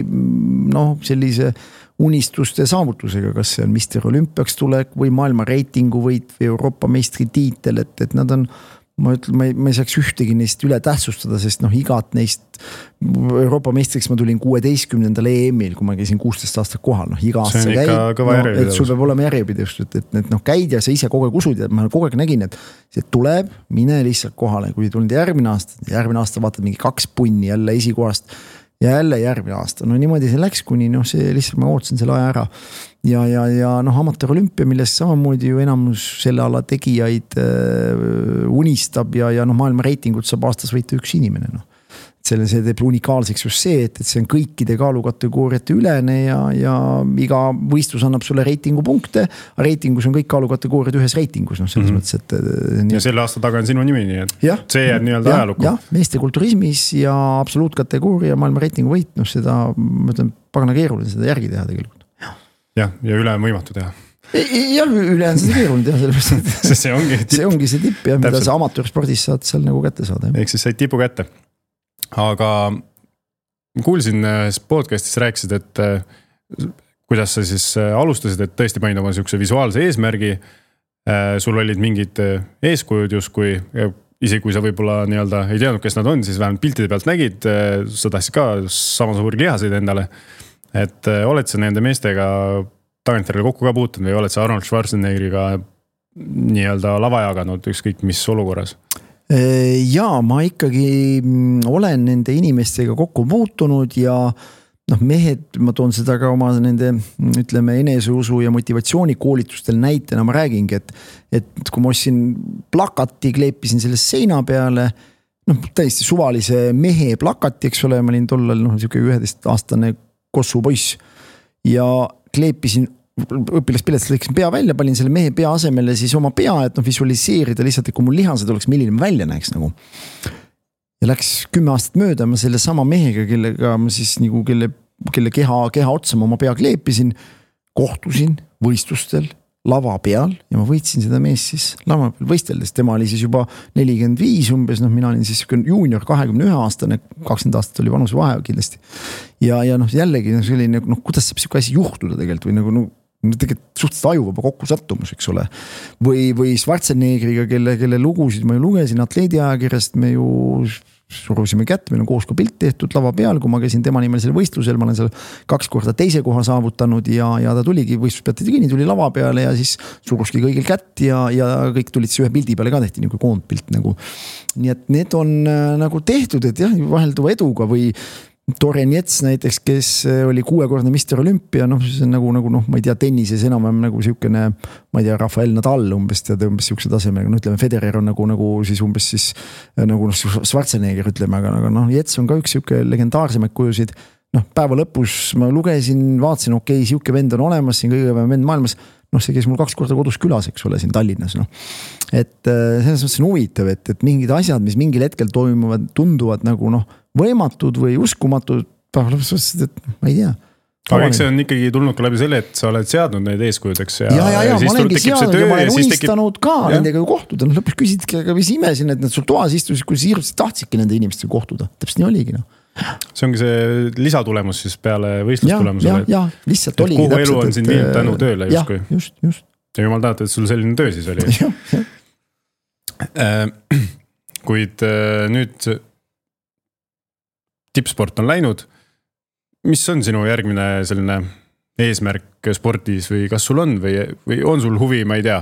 noh, sellise unistuste saavutusega, kas see on mister Olümpiaks tulek või maailma reitingu võit või Euroopa meistri tiitel, et, et nad on ma ütlen, ma ei, ma ei saaks ühtegi neist üle tähtsustada, sest noh, igat neist Euroopa meistriks ma tulin kuueteistkümnendal E M-il, kui ma käisin kuusteist aastat kohal, noh iga aasta käid, no, et sul peab olema järjepidevust, et, et, et noh, käid ja sa ise kogu aeg usud ja ma kogu aeg nägin, et see tuleb, mine lihtsalt kohale, kui tulnud järgmine aasta, järgmine aasta vaatad mingi kaks punni jälle esikohast ja jälle järgmine aasta, no niimoodi see läks, kuni noh, see lihtsalt ma ootasin selle aja ära ja, ja, ja noh, amatöör olümpia, millest samamoodi ju enamus selle ala tegijaid äh, unistab ja, ja noh, maailma reitingut saab aastas võita üks inimene, noh. Selle see teeb unikaalseks just see, et, et see on kõikide kaalukategooriate ülene ja, ja iga võistlus annab sulle reitingu punkte, aga reitingus on kõik kaalukategooriad ühes reitingus, noh selles mm-hmm. mõttes, et nii... ja selle aasta taga on sinu nimi, nii et ja, see jääb nii-öelda ajalukku. Jah, meeste kulturismis ja absoluutkategooria maailma reitingu võit, noh seda, ma ütlen, pagana keeruline seda järgi teha tegelikult. Jah, ja üle on võimatu teha. Jah, üle on seda keeruline teha, sellepärast, et see ongi tipp, see ongi see tipp ja mida sa amatöörspordis saad seal nagu kätte saada. Ehk siis said tipu kätte. Aga kuulsin podcastis rääkisid, et kuidas sa siis alustasid, et tõesti panid oma sihukese visuaalse eesmärgi. Sul olid mingid eeskujud justkui, isegi kui sa võib-olla nii-öelda ei teadnud, kes nad on, siis vähemalt piltide pealt nägid, sa tahtsid ka sama suuri lihaseid endale. Et oled sa nende meestega tagantjärele kokku ka puutunud või oled sa Arnold Schwarzeneggeriga nii-öelda lava jaganud ükskõik mis olukorras? Jaa, ma ikkagi olen nende inimestega kokku puutunud ja noh, mehed, ma toon seda ka oma nende, ütleme, eneseusu ja motivatsioonikoolitustel näitena, ma räägingi, et, et kui ma ostsin plakati, kleepisin selle seina peale, noh, täiesti suvalise mehe plakati, eks ole, ma olin tollal, noh, siuke üheteist aastane Kossu poiss ja kleepisin õpilaspiletist lõiksin pea välja, panin selle mehe pea asemele siis oma pea, et noh, visualiseerida lihtsalt, et kui mul lihased oleks, milline ma välja näeks nagu. Ja läks kümme aastat mööda, ma selle sama mehega, kellega ma siis nagu, kelle, kelle keha, keha otsa ma oma pea kleepisin, kohtusin võistlustel lava peal ja ma võitsin seda mees siis lava peal võisteldes. Tema oli siis juba nelikümmend viis umbes, noh mina olin siis juunior kahekümne ühe aastane, kakskümmend aastat oli vanuse vahe kindlasti. Ja, ja noh jällegi no, selline, noh kuidas saab siuke asi juhtuda tegelikult või nagu no, tegelikult suhteliselt ajuvaba kokku sattumus, eks ole. Või, või Schwarzeneggeriga, kelle, kelle lugusid ma ju lugesin atleediajakirjast, me ju surusime kätt, meil on koos ka pilt tehtud lava peal, kui ma käisin tema nimel selle võistlusel, ma olen seal kaks korda teise koha saavutanud ja, ja ta tuligi võistluspeate tegini, tuli lava peale ja siis suruski kõigil kätt ja, ja kõik tulid see ühe pildi peale ka tehti nagu koondpilt nagu. Nii et need on äh, nagu tehtud, et jah, vahelduva eduga või Toren Jets näiteks, kes oli kuuekordne mister Olümpia, noh, see on nagu, nagu noh, ma ei tea, tennises enam nagu siukene, ma ei tea, Rafael Nadal umbes tead umbes siukse tasemega, no ütleme, Federer on nagu, nagu siis umbes siis nagu noh, Schwarzenegger ütleme, aga, aga noh, Jets on ka üks siuke legendaarsemaid kujusid, noh, päeva lõpus ma lugesin, vaatasin, okei, okay, siuke vend on olemas, siin kõige vend maailmas, noh, see käis mul kaks korda kodus külas, eks ole, siin Tallinnas, noh. Et selles mõttes on huvitav, et, et mingid asjad, mis mingil hetkel toimuvad, tunduvad nagu noh, võimatud või uskumatud, päeva lõpuks otsustasid, et ma ei tea. aga eks see on ikkagi tulnud ka läbi selle, et sa oled seadnud neid eeskujudeks ja, ja, ja, ja, ja ma olengi seadnud ja ma olen unistanud tekib... ka ja. Nendega ju kohtuda, no lõpuks küsidki, aga mis imesin, et nad sul toas istusid, kui siirdusid tahtsidki nende inimestega kohtuda, täpselt nii oligi no. See ongi see lisatulemus siis peale võistlustulemusele, ja, ja, lihtsalt oligi kuhu elu on siin viinud tänu tööle ja, justkui. Just, just. Ja jumal tahab, et sul selline töö siis oli. Ja, ja. Äh, kuid äh, nüüd tippsport on läinud. Mis on sinu järgmine selline eesmärk spordis või kas sul on või, või on sul huvi, ma ei tea,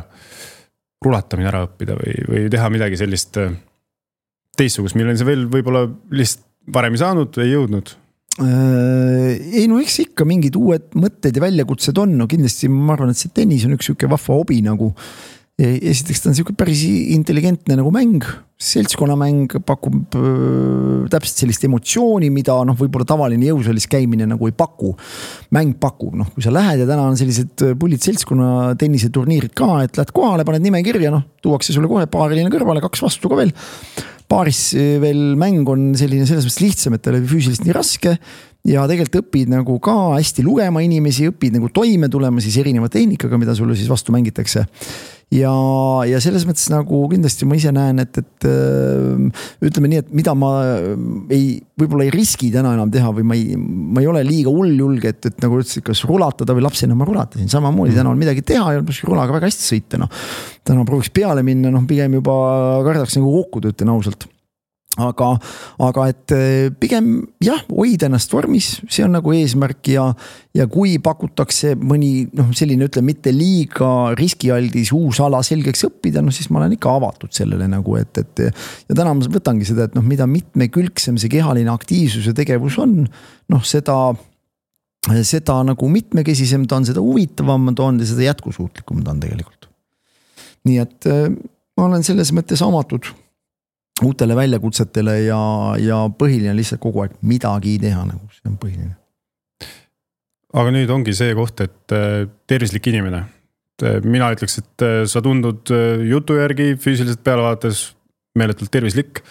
rulatamine ära õppida või, või teha midagi sellist teistsugust, milleni sa veel võib-olla lihtsalt varem ei saanud või ei jõudnud? Ei no eks ikka mingid uued mõtted ja väljakutsed on, no kindlasti ma arvan, et see tennis on üks siuke vahva hobi nagu. Esiteks ta on siuke päris intelligentne nagu mäng, seltskonnamäng pakub äh, täpselt sellist emotsiooni, mida noh, võib-olla tavaline jõusaalis käimine nagu ei paku. Mäng pakub, noh kui sa lähed ja täna on sellised pullid seltskonna tenniseturniirid ka, et lähed kohale, paned nime kirja, noh tuuakse sulle kohe paariline kõrvale, kaks vastu ka veel. Paaris veel mäng on selline selles mõttes lihtsam, et ta oli füüsiliselt nii raske ja tegelikult õpid nagu ka hästi lugema inimesi, õpid nagu toime tulema siis erineva tehnikaga, mida sulle siis vastu mängitakse. Ja, ja selles mõttes nagu kindlasti ma ise näen, et, et ütleme nii, et mida ma ei, võib-olla ei riski täna enam teha või ma ei, ma ei ole liiga hull julge, et, et nagu ütlesid, kas rulatada või lapsena ma rulatasin. Samamoodi täna on midagi teha ja rulaga väga hästi sõita. No. Täna prooviks peale minna, noh pigem juba kardaks nagu kokku töötan ausalt. Aga, aga et pigem jah, hoida ennast vormis, see on nagu eesmärk ja, ja kui pakutakse mõni noh, selline ütle mitte liiga riskialdis uus ala selgeks õppida, no siis ma olen ikka avatud sellele nagu, et, et ja täna ma võtangi seda, et noh, mida mitmekülgsem see kehaline aktiivsus ja tegevus on, noh seda, seda nagu mitmekesisem ta on, seda huvitavam ta on ja seda jätkusuutlikum ta on tegelikult. Nii et ma olen selles mõttes amatud uutele väljakutsetele ja, ja põhiline lihtsalt kogu aeg midagi teha, nagu see on põhiline. Aga nüüd ongi see koht, et tervislik inimene. Mina ütleks, et sa tundud jutu järgi füüsiliselt pealevaates meeletult tervislik.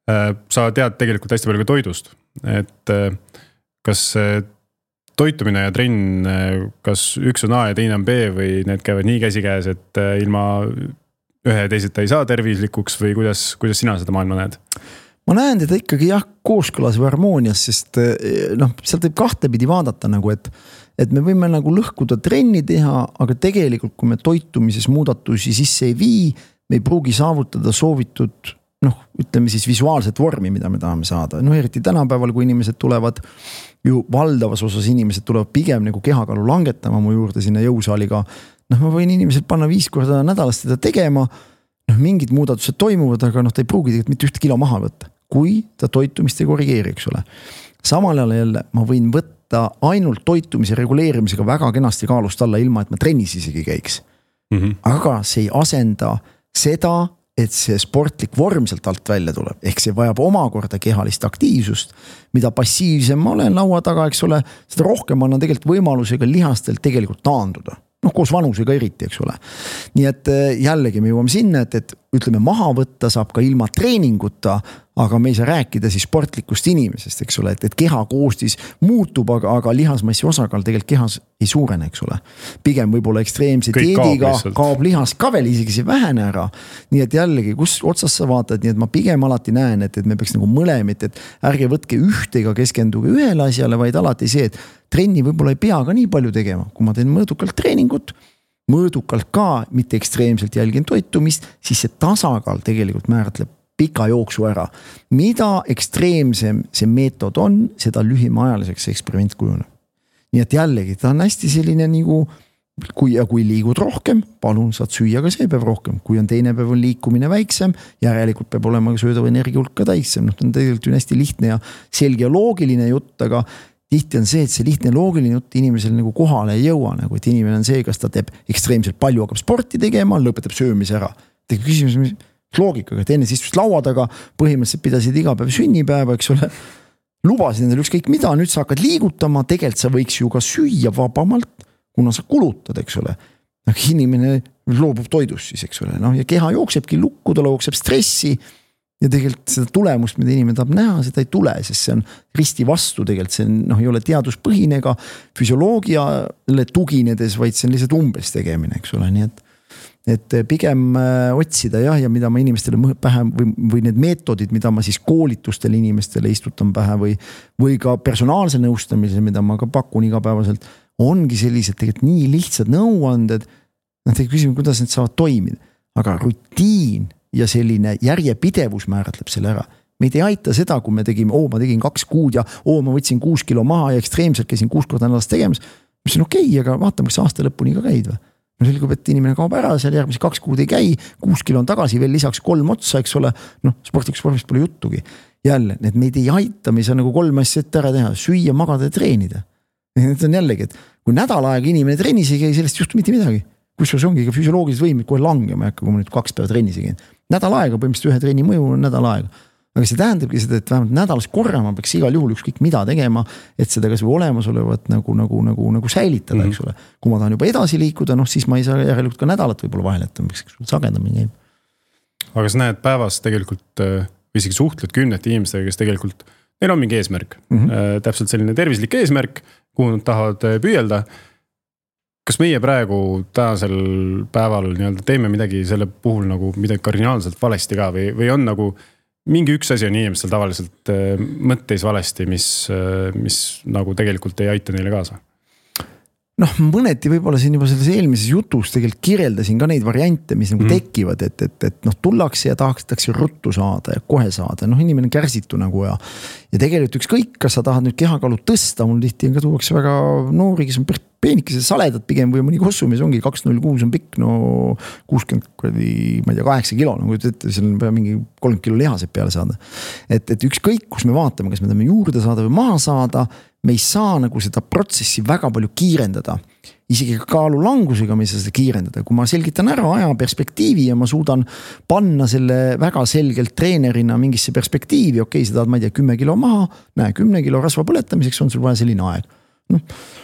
Sa tead tegelikult hästi palju ka toidust. Et kas toitumine ja trenn, kas üks on A ja teine on B või need käivad nii käsikäes, et ilma ühe ja teiseta ei saa tervislikuks või kuidas, kuidas sina seda maailma näed? Ma näen teda ikkagi jah, kooskõlas või harmoonias, sest noh, sealt võib kahtepidi vaadata nagu, et, et me võime nagu lõhkuda trenni teha, aga tegelikult kui me toitumises muudatusi sisse ei vii, me ei pruugi saavutada soovitud, noh, ütleme siis visuaalset vormi, mida me tahame saada. No eriti tänapäeval, kui inimesed tulevad, ju valdavas osas inimesed tulevad pigem nagu kehakalu langetama mu juurde sinna jõusaaliga. Noh, ma võin inimesed panna viis korda nädalast seda tegema, noh, mingid muudatused toimuvad, aga noh, ta ei pruugi tegelikult mitte üht kilo maha võtta, kui ta toitumist ei korrigeeri, eks ole. Samal ajal jälle ma võin võtta ainult toitumise reguleerimisega väga kenasti kaalust alla, ilma et ma trennis isegi käiks. Mm-hmm. Aga see ei asenda seda, et see sportlik vorm sealt alt välja tuleb. Ehk see vajab omakorda kehalist aktiivsust, mida passiivsem ma olen laua taga, eks ole, seda rohkem annan tegelikult võimalusega lihastelt tegelikult taanduda. Noh, koos vanusega eriti, eks ole. Nii et jällegi me jõuame sinna, et, et ütleme maha võtta saab ka ilma treeninguta, aga me ei saa rääkida siis sportlikust inimesest, eks ole, et, et keha koostis muutub, aga, aga lihasmassi osakaal tegelikult kehas ei suurene, eks ole. Pigem võib-olla ekstreemse dieediga kaob, kaob lihas ka veel isegi see vähene ära. Nii et jällegi, kus otsas sa vaatad, nii et ma pigem alati näen, et, et me peaks nagu mõlemit, et ärge võtke ühtega keskenduge ühele asjale, vaid alati see, et trenni võib-olla ei pea ka nii palju tegema, kui ma teen mõõdukalt treeningut, mõõdukalt ka, mitte ekstreemselt jälgin toitumist, siis see tasakaal tegelikult määratleb pika jooksu ära. Mida ekstreemsem see meetod on, seda lühimaajaliseks eksperiment kujuneb. Nii et jällegi, ta on hästi selline nagu, kui, ja kui liigud rohkem, palun saad süüa ka see päev rohkem. Kui on teine päev on liikumine väiksem, järelikult peab olema söödava energia hulk ka täissem. Noh, ta on tegelikult ju hästi lihtne ja selge ja loogiline jutt, aga tihti on see, et see lihtne loogiline jutt inimesel nagu kohale ei jõua, nagu et inimene on see, kas ta teeb ekstreemselt palju, hakkab sporti tegema, lõpetab söömise ära. Tegi küsimus, mis loogikaga, et enne istusid laua taga, põhimõtteliselt pidasid iga päev sünnipäeva, eks ole, lubasid endale ükskõik mida, nüüd sa hakkad liigutama, tegelikult sa võiks ju ka süüa vabamalt, kuna sa kulutad, eks ole. Inimene loobub toidust siis, eks ole, no, ja keha jooksebki lukku, ta jookseb stressi ja tegelikult seda tulemust, mida inimene tahab näha, seda ei tule, sest see on risti vastu tegelikult, see on, noh, ei ole teaduspõhine ega füsioloogiale tuginedes, vaid see on lihtsalt umbes tegemine, eks ole, nii et et pigem otsida jah, ja mida ma inimestele pähe või, või need meetodid, mida ma siis koolitustele inimestele istutan pähe või, või ka personaalse nõustamise, mida ma ka pakun igapäevaselt, ongi sellised tegelikult nii lihtsad nõuanded, noh, te küsime, kuidas need saavad toimida, aga rutiin ja selline järjepidevus määratleb selle ära. Meid ei aita seda, kui me tegime, oo, ma tegin kaks kuud ja oo, ma võtsin kuus kilo maha ja ekstreemselt käisin kuus korda nädalas tegemas, mis on okei, aga vaatame, kas aasta lõpuni ka käid või. No selgub, et inimene kaob ära, seal järgmise kaks kuud ei käi, kuus kilo on tagasi, veel lisaks kolm otsa, eks ole, noh, sportlikus vormist pole juttugi. Jälle, need meid ei aita, me ei saa nagu kolm asja ette ära teha, süüa, magada ja treenida. Need on jällegi, et kui nädal aega inimene trennis ei käi, sellest juhtu mitte midagi. Kusjuures ongi ka füsioloogilised võimid kohe langema, kui ma nüüd kaks päeva trennis ei käin. Nädal aega, põhimõtteliselt ühe treeni mõju on nädal aega. Aga see tähendabki seda, et vähemalt nädalas korra ma peaks igal juhul ükskõik mida tegema, et seda kas või olemasolevat nagu, nagu, nagu, nagu säilitada, mm-hmm. eks ole. Kui ma tahan juba edasi liikuda, noh siis ma ei saa järelikult ka nädalat võib-olla vahel, et miks sagedamini käib. Aga sa näed päevas tegelikult või isegi suhtled kümnete inimestega, kes tegelikult, neil on mingi eesmärk. Mm-hmm. Täpselt selline tervislik eesmärk, kuhu nad tahavad püüelda. Kas meie praegu tänasel päeval nii-öelda teeme midagi selle puhul nagu midagi kardinaalselt valesti ka või, või on nagu mingi üks asi on inimestel tavaliselt mõtteis valesti, mis, mis nagu tegelikult ei aita neile kaasa? Noh, mõneti võib-olla siin juba selles eelmises jutus tegelikult kirjeldasin ka neid variante, mis nagu mm. tekivad, et, et, et noh, tullakse ja tahatakse ruttu saada ja kohe saada. Noh, inimene kärsitu nagu ja, ja tegelikult ükskõik, kas sa tahad nüüd kehakaalu tõsta, mul tihti ka tuuakse väga noori, kes on peenikesed saledad pigem või mõni kossumis ongi kaks null kuus on pikk, no kuuskümmend, ma ei tea, kaheksa kilo, nagu ütlete, seal on mingi kolmkümmend kilo lihased peale saada. Et, et ükskõik, kus me vaatame, kas me tahame juurde saada või maha saada, me ei saa nagu seda protsessi väga palju kiirendada. Isegi kaalu langusega me ei saa seda kiirendada. Kui ma selgitan ära aja perspektiivi ja ma suudan panna selle väga selgelt treenerina mingisse perspektiivi, okei, sa tahad, ma ei tea, kümme kilo maha, näe, kümne kilo rasva põletamiseks on sul vaja selline aeg. No,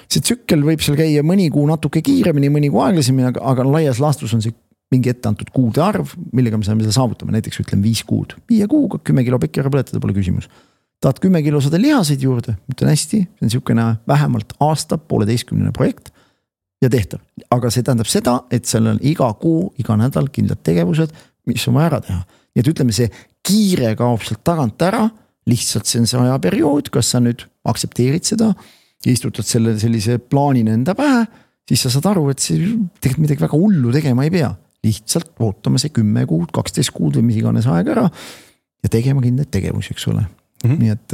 see tsükkel võib seal käia mõni kuu natuke kiiremini, mõni kuu aeglasemini, aga, aga laias laastus on see mingi ette antud kuude arv, millega me saame seda saavutama, näiteks ütlen viis kuud. Viie kuuga kümme kilo pekki ära põletada pole küsimus. Tahad kümme kilo sada lihaseid juurde, ütlen hästi, see on niisugune vähemalt aasta, pooleteistkümnene projekt ja tehtav. Aga see tähendab seda, et seal on iga kuu, iga nädal kindlad tegevused, mis on vaja ära teha. Nii et ütleme, see kiire kaob sealt tagant ära, lihtsalt see on see ajaperiood, kas sa nüüd aksepteerid seda ja istutad selle sellise plaanina enda pähe, siis sa saad aru, et see tegelikult midagi väga hullu tegema ei pea. Lihtsalt ootame see kümme kuud, kaksteist kuud või mis iganes aeg ära ja tegema kindlaid tegevusi, eks ole. Mm-hmm. Nii et,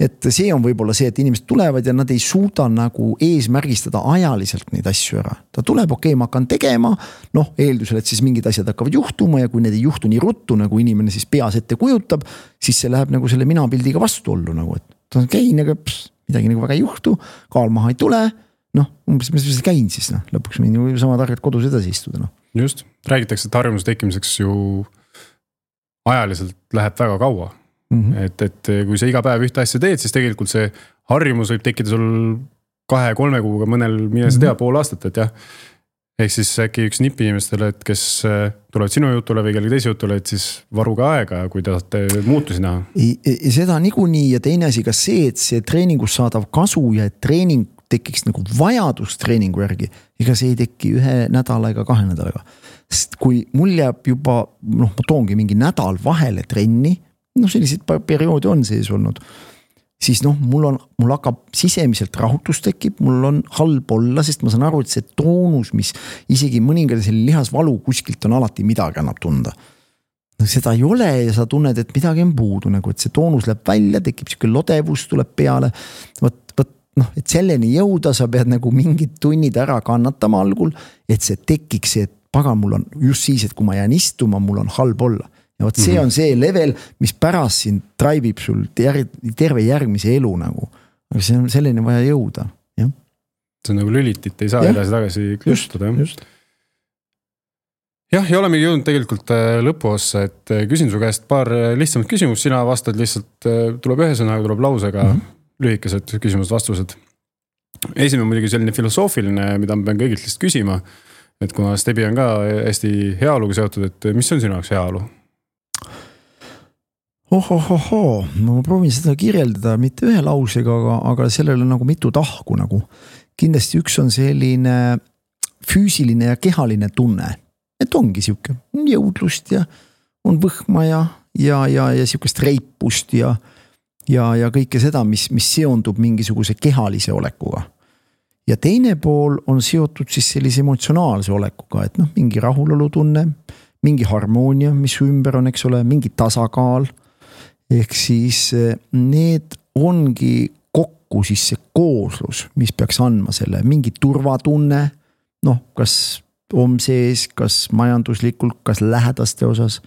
et see on võib-olla see, et inimesed tulevad ja nad ei suuda nagu eesmärgistada ajaliselt neid asju ära. Ta tuleb, okei, ma hakkan tegema, noh, eeldusel, et siis mingid asjad hakkavad juhtuma ja kui need ei juhtu nii ruttu, nagu inimene siis peas ette kujutab, siis see läheb nagu selle minapildiga vastuollu nagu, et ta on käin, aga pss, midagi nagu väga ei juhtu, kaal maha ei tule, noh, umbes mis ma käin siis, noh, lõpuks võin ju sama targalt kodus edasi istuda, noh. Just, räägitakse, et harjumuse tekkimiseks ju ajaliselt läheb väga kaua. Mm-hmm. Et, et kui sa iga päev ühte asja teed, siis tegelikult see harjumus võib tekkida sul kahe-kolme kuuga mõnel mine sa tea pool aastat, et jah. Ehk siis äkki üks nipp inimestele, et kes tulevad sinu jutule või kellegi teise jutule, et siis varuga aega, kui te tahate muutusi näha. Seda niikuinii ja teine asi ka see, et see treeningus saadav kasu ja et treening tekiks nagu vajadus treeningu järgi, ega see ei teki ühe nädala ega kahe nädalaga. Sest kui mul jääb juba, noh, ma toongi mingi nädal vahele trenni, noh, sellised perioodi on sees olnud, siis noh, mul on, mul hakkab sisemiselt rahutus tekib, mul on halb olla, sest ma saan aru, et see toonus, mis isegi mõningale selle lihasvalu kuskilt on alati midagi annab tunda. No, seda ei ole ja sa tunned, et midagi on puudu, nagu, et see toonus läheb välja, tekib siuke lodevus, tuleb peale, võt, võt, noh, et selleni jõuda, sa pead nagu mingid tunnid ära kannatama algul, et see tekiks see, et pagan, mul on just siis, et kui ma jään istuma, mul on halb olla. Ja võt see on see level, mis pärast siin traibib sul terve järgmise elu nagu. Aga see on selline vaja jõuda. Ja. See on nagu lülitit, ei saa ja. edasi tagasi klõstuda. Just, just. Jah, ja olemegi jõudnud tegelikult lõpuossa, et küsin su käest paar lihtsamat küsimust, sina vastad lihtsalt, tuleb ühe sõnaga, tuleb lausega mm-hmm. lühikesed küsimused, vastused. Esimene muidugi selline filosoofiline, mida ma pean kõigilt lihtsalt küsima, et kuna Stebi on ka hästi heaoluga seotud, et mis on sinu jaoks heaolu? Ohohoho, ma proovin seda kirjeldada mitte ühe lausega, aga, aga sellel on nagu mitu tahku nagu. Kindlasti üks on selline füüsiline ja kehaline tunne, et ongi siuke jõudlust ja on võhma ja, ja, ja, ja siukest reipust ja, ja, ja kõike seda, mis, mis seondub mingisuguse kehalise olekuga. Ja teine pool on seotud siis sellise emotsionaalse olekuga, et noh, mingi rahulolu tunne, mingi harmoonia, mis ümber on, eks ole, mingi tasakaal. Ehk siis need ongi kokku siis see kooslus, mis peaks andma selle mingi turvatunne, noh, kas on sees, kas majanduslikult, kas lähedaste osas.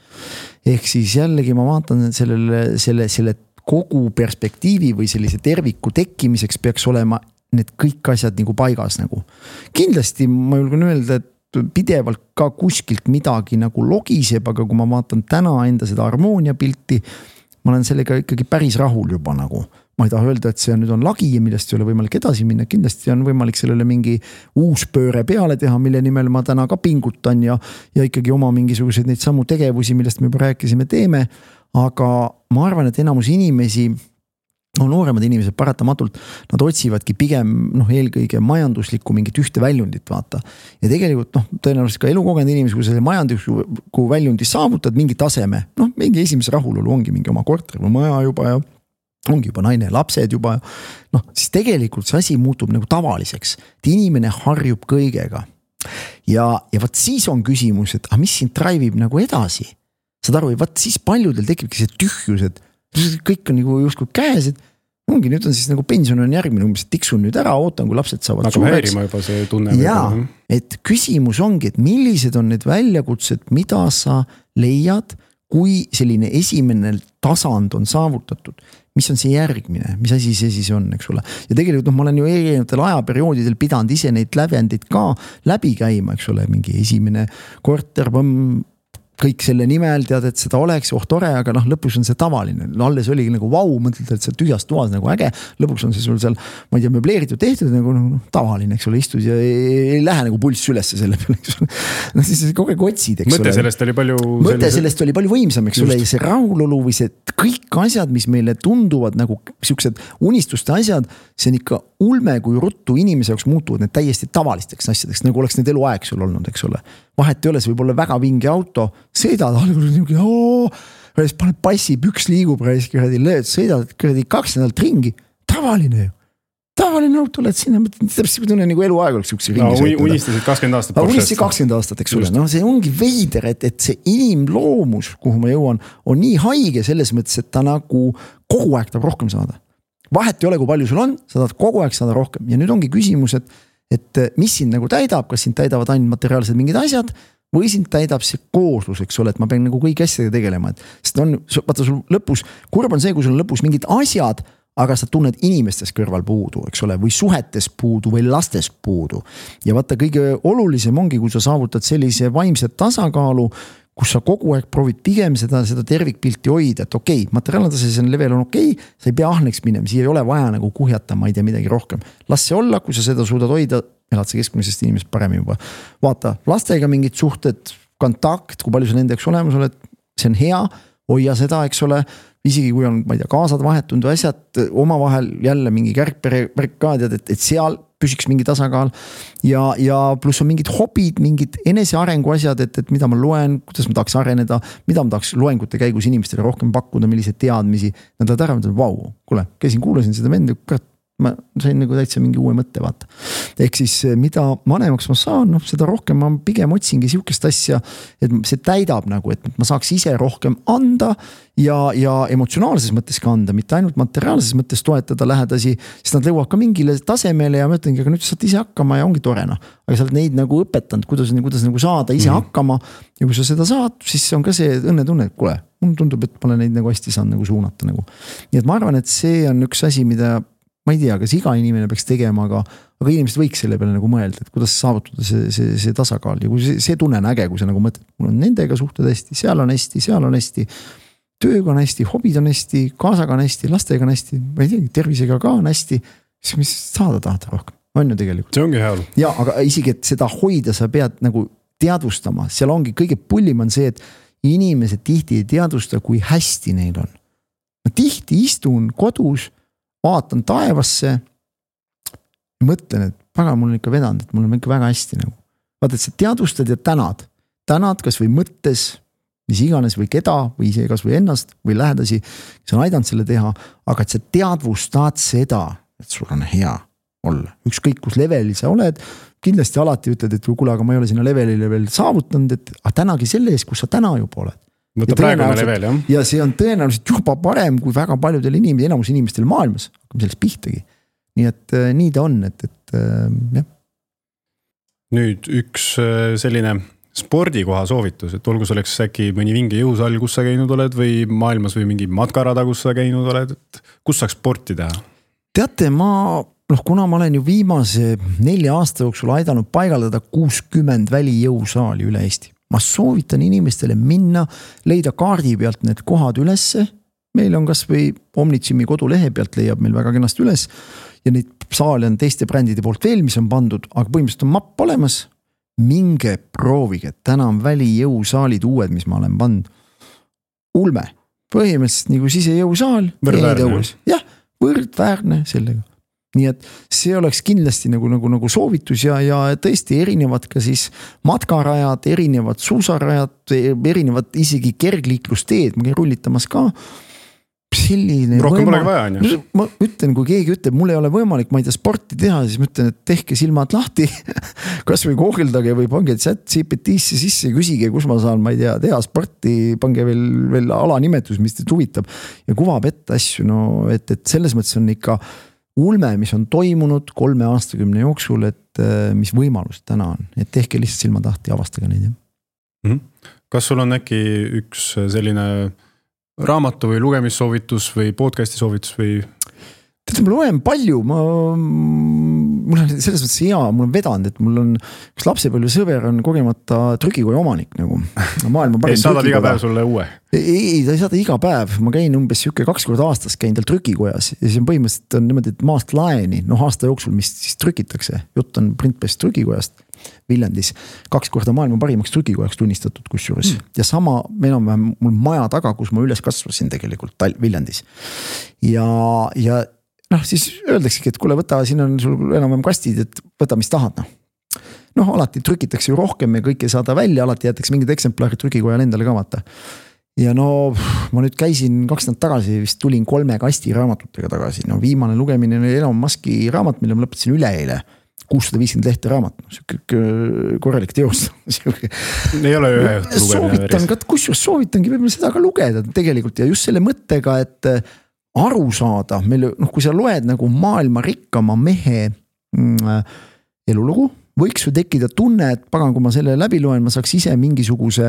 Ehk siis jällegi ma vaatan sellele, selle, selle kogu perspektiivi või sellise terviku tekkimiseks peaks olema need kõik asjad nagu paigas nagu. Kindlasti ma julgen öelda, et pidevalt ka kuskilt midagi nagu logiseb, aga kui ma vaatan täna enda seda harmoonia pilti, ma olen sellega ikkagi päris rahul juba nagu. Ma ei taha öelda, et see nüüd on lagi ja millest ei ole võimalik edasi minna. Kindlasti on võimalik sellele mingi uus pööre peale teha, mille nimel ma täna ka pingutan ja, ja ikkagi oma mingisuguseid neid samu tegevusi, millest me juba rääkisime, teeme. Aga ma arvan, et enamus inimesi on nooremad inimesed paratamatult, nad otsivadki pigem noh, eelkõige majanduslikku mingit ühte väljundit vaata. Ja tegelikult noh, tõenäoliselt ka elukogenud inimesi, kui selle majandusliku väljundi saavutad mingi taseme, noh, mingi esimese rahulolu ongi mingi oma korter või maja juba ja ongi juba naine, lapsed juba, noh, siis tegelikult see asi muutub nagu tavaliseks. Et inimene harjub kõigega. Ja, ja vaat siis on küsimus, et ah, mis sind drive'ib nagu edasi? Saad aru, vaat siis paljudel tekibki see tühjus, et kõik on nagu justkui käes, et ongi, nüüd on siis nagu pension on järgmine, umbes tiksun nüüd ära, ootan, kui lapsed saavad nagu suureks. Häirima juba see tunne. Jaa, et küsimus ongi, et millised on need väljakutsed, mida sa leiad, kui selline esimene tasand on saavutatud, mis on see järgmine, mis asi see siis on, eks ole. Ja tegelikult noh, ma olen ju erinevatel ajaperioodidel pidanud ise neid lävendid ka läbi käima, eks ole, mingi esimene korter, võmm, kõik selle nimel tead, et seda oleks, oh tore, aga noh, lõpus on see tavaline. Alles oligi nagu vau, mõtled, et see tühjast toas nagu äge. Lõpuks on see sul seal, ma ei tea, möbleeritud tehtud nagu no, tavaline, eks ole, istud ja ei, ei lähe nagu pulss ülesse selle peale, eks ole. No siis kogu aeg otsid, eks mõte ole. Sellest oli palju... Mõte sellise... sellest oli palju võimsam, eks ole, ja see rahulolu või see kõik asjad, mis meile tunduvad nagu siuksed unistuste asjad, see on ikka ulme, kui ruttu inimese jaoks muutuvad need täiesti tavalisteks asjadeks, nagu oleks need eluaeg sul olnud, eks ole. Vahet ei ole, see võib olla väga vingi auto, sõidad algul niuke, ooo, paned passi, püks liigub, kuradi lööd, sõidad kuradi kaks nädalat ringi, tavaline ju. Tavaline auto, oled sinna, täpselt tunne nagu eluaeg oleks siukse ringi sõita. No, unistasid kakskümmend aastat. Unistasid kakskümmend aastat, eks ole. No see ongi veider, et, et see inimloomus, kuhu ma jõuan, on nii haige selles mõttes, et ta nagu kogu aeg tahab rohkem saada. Vahet ei ole, kui palju sul on, sa tahad kogu aeg saada rohkem. Ja nüüd ongi küsimus, et, et mis sind nagu täidab, kas sind täidavad ainult materiaalsed mingid asjad või sind täidab see kooslus, eks ole, et ma pean nagu kõik asjadega tegelema. Et, sest on, vaata sul lõpus, kurb on see, kui sul on lõpus mingid asjad, aga sa tunned inimestes kõrval puudu, eks ole, või suhetes puudu või lastes puudu. Ja vaata, kõige olulisem ongi, kui sa saavutad sellise vaimset tasakaalu, kus sa kogu aeg proovid pigem seda, seda tervikpilti hoida, et okei, okay, materiaalne tase, see level on okei, okay, sa ei pea ahneks minema, siia ei ole vaja nagu kuhjata, ma ei tea midagi rohkem. Las see olla, kui sa seda suudad hoida, elad sa keskmisest inimesest parem juba. Vaata, lastega mingid suhted, kontakt, kui palju sa nendeks olemas oled, see on hea, hoia seda, eks ole, isegi kui on, ma ei tea, kaasad vahetundu asjad, oma vahel jälle mingi kärkperikaadiad, et, et seal püsiks mingi tasakaal ja, ja pluss on mingid hobid, mingid enesearengu asjad, et, et mida ma loen, kuidas ma tahaks areneda, mida ma tahaks loengute käigus inimestele rohkem pakkuda, milliseid teadmisi, nad tahavad ära, mõtlen, vau, kuule, käisin, kuulasin seda venda, ma sain nagu täitsa mingi uue mõtte vaata. Ehk siis mida vanemaks ma saan, noh, seda rohkem ma pigem otsingi siukest asja, et see täidab nagu, et ma saaks ise rohkem anda ja, ja emotsionaalses mõttes ka anda, mitte ainult materiaalses mõttes toetada lähedasi, sest nad lõuavad ka mingile tasemele ja ma ütlengi, aga nüüd saad ise hakkama ja ongi torena. Aga sa oled neid nagu õpetanud, kuidas, kuidas nagu saada ise mm. hakkama ja kui sa seda saad, siis on ka see õnnetunne, et kuule, mulle tundub, et ma olen neid nagu hästi saanud nagu suunata nagu. Nii et ma arvan, et see on üks asi, mida ma ei tea, kas iga inimene peaks tegema, aga, aga inimesed võiks selle peale nagu mõelda, et kuidas saavutada see, see, see tasakaal ja kui see, see tunne on äge, kui sa nagu mõtled, mul on nendega suhted hästi, seal on hästi, seal on hästi, tööga on hästi, hobid on hästi, kaasaga on hästi, lastega on hästi, ma ei tea, tervisega ka on hästi, siis mis saada tahad rohkem, on ju tegelikult. See ongi hea. Ja, aga isegi, et seda hoida, sa pead nagu teadvustama, seal ongi kõige pullim on see, et inimesed tihti ei teadvusta, kui hästi neil on. ma tihti istun kodus, vaatan taevasse, mõtlen, et paga mul on ikka vedanud, et mul on ikka väga hästi nagu. Vaata, et sa teadvustad ja tänad. Tänad kas või mõttes, mis iganes või keda või ise kas või ennast või lähedasi, kes on aidanud selle teha, aga et sa teadvustad seda, et sul on hea olla. Ükskõik kus levelil sa oled, kindlasti alati ütled, et kuule, aga ma ei ole sinna levelile veel saavutanud, et aga tänagi selle eest, kus sa täna juba oled. No ta praegune level, jah. Ja see on tõenäoliselt juba parem kui väga paljudel inimestel, enamus inimestel maailmas, hakkame sellest pihtagi. Nii et äh, nii ta on, et, et äh, jah. Nüüd üks äh, selline spordikoha soovitus, et olgu selleks äkki mõni vinge jõusall, kus sa käinud oled või maailmas või mingi matkarada, kus sa käinud oled, et kus saaks sporti teha? Teate, ma, noh, kuna ma olen ju viimase nelja aasta jooksul aidanud paigaldada kuuskümmend välijõusaali üle Eesti. Ma soovitan inimestele minna, leida kaardi pealt need kohad ülesse. Meil on kas või Omnitsimi kodulehe pealt leiab meil väga kenast üles ja neid saali on teiste brändide poolt veel, mis on pandud, aga põhimõtteliselt on mapp olemas. Minge proovige, täna on välijõusaalid uued, mis ma olen pannud. Ulme, põhimõtteliselt nagu sisejõusaal. Võrdväärne. Jah, võrdväärne sellega. Nii et see oleks kindlasti nagu, nagu, nagu soovitus ja, ja tõesti erinevad ka siis matkarajad, erinevad suusarajad, erinevad isegi kergliiklusteed, ma käin rullitamas ka. Selline rohkem polegi vaja, on ju. Ma ütlen, kui keegi ütleb, mul ei ole võimalik, ma ei tea sporti teha, siis ma ütlen, et tehke silmad lahti, kas või koogildage või pange chat G P T-sse sisse, küsige, kus ma saan, ma ei tea, teha sporti, pange veel, veel alanimetus, mis teid huvitab ja kuvab ette asju, no et, et selles mõttes on ikka ulme, mis on toimunud kolme aastakümne jooksul, et mis võimalus täna on, et tehke lihtsalt silmad lahti ja avastage neid. Mm-hmm. Kas sul on äkki üks selline raamatu või lugemissoovitus või podcasti soovitus või? Tead, ma loen palju, ma, mul on selles mõttes hea, mul on vedanud, et mul on üks lapsepõlve sõber on kogemata trükikoja omanik nagu. Maailma ei saadab iga päev sulle uue? Ei, ei, ta ei saada iga päev, ma käin umbes siuke kaks korda aastas käin tal trükikojas ja see on põhimõtteliselt on niimoodi, et maast laeni, noh aasta jooksul, mis siis trükitakse, jutt on Printbest trükikojast Viljandis, kaks korda maailma parimaks trükikojaks tunnistatud kusjuures mm. ja sama enam-vähem mul maja taga, kus ma üles kasvasin tegelikult Viljandis ja, ja noh, siis öeldaksegi, et kuule, võta, siin on sul enam-vähem kastid, et võta, mis tahad, noh. Noh, alati trükitakse ju rohkem ja kõik ei saada välja, alati jätaks mingid eksemplarid trükikojal endale ka vaata. Ja no, ma nüüd käisin kaks nädalat tagasi, vist tulin kolme kasti raamatutega tagasi. No viimane lugemine oli Elon Muski raamat, mille ma lõpetasin üle eile. kuussada viiskümmend lehte raamat, no, korralik teost. Ei ole ühe õhtu lugemine. Soovitan, kusjuures soovitangi võib-olla seda ka lugeda tegelikult ja just selle mõttega, et aru saada, meil, noh, kui sa loed nagu maailma rikkama mehe mm, elulugu, võiks ju tekkida tunne, et pagan, kui ma selle läbi loen, ma saaks ise mingisuguse,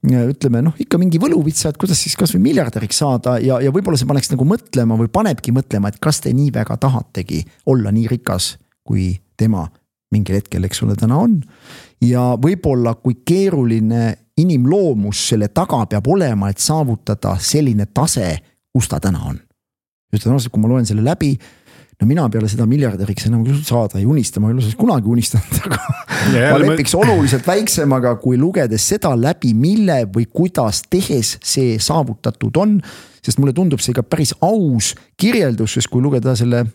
ütleme, noh, ikka mingi võluvitsa, et kuidas siis kas või miljardäriks saada ja, ja võib-olla see paneks nagu mõtlema või panebki mõtlema, et kas te nii väga tahategi olla nii rikas, kui tema mingil hetkel, eks ole, täna on. Ja võib-olla, kui keeruline inimloomus selle taga peab olema, et saavutada selline tase, kus ta täna on. Ütlen ausalt, kui ma loen selle läbi, no mina peale seda miljardäriks enam saada ei unista, ma ei ole kunagi unistanud, aga yeah, ma lepiks ma... oluliselt väiksemaga, kui lugedes seda läbi, mille või kuidas tehes see saavutatud on, sest mulle tundub see ka päris aus kirjeldus, sest kui lugeda selle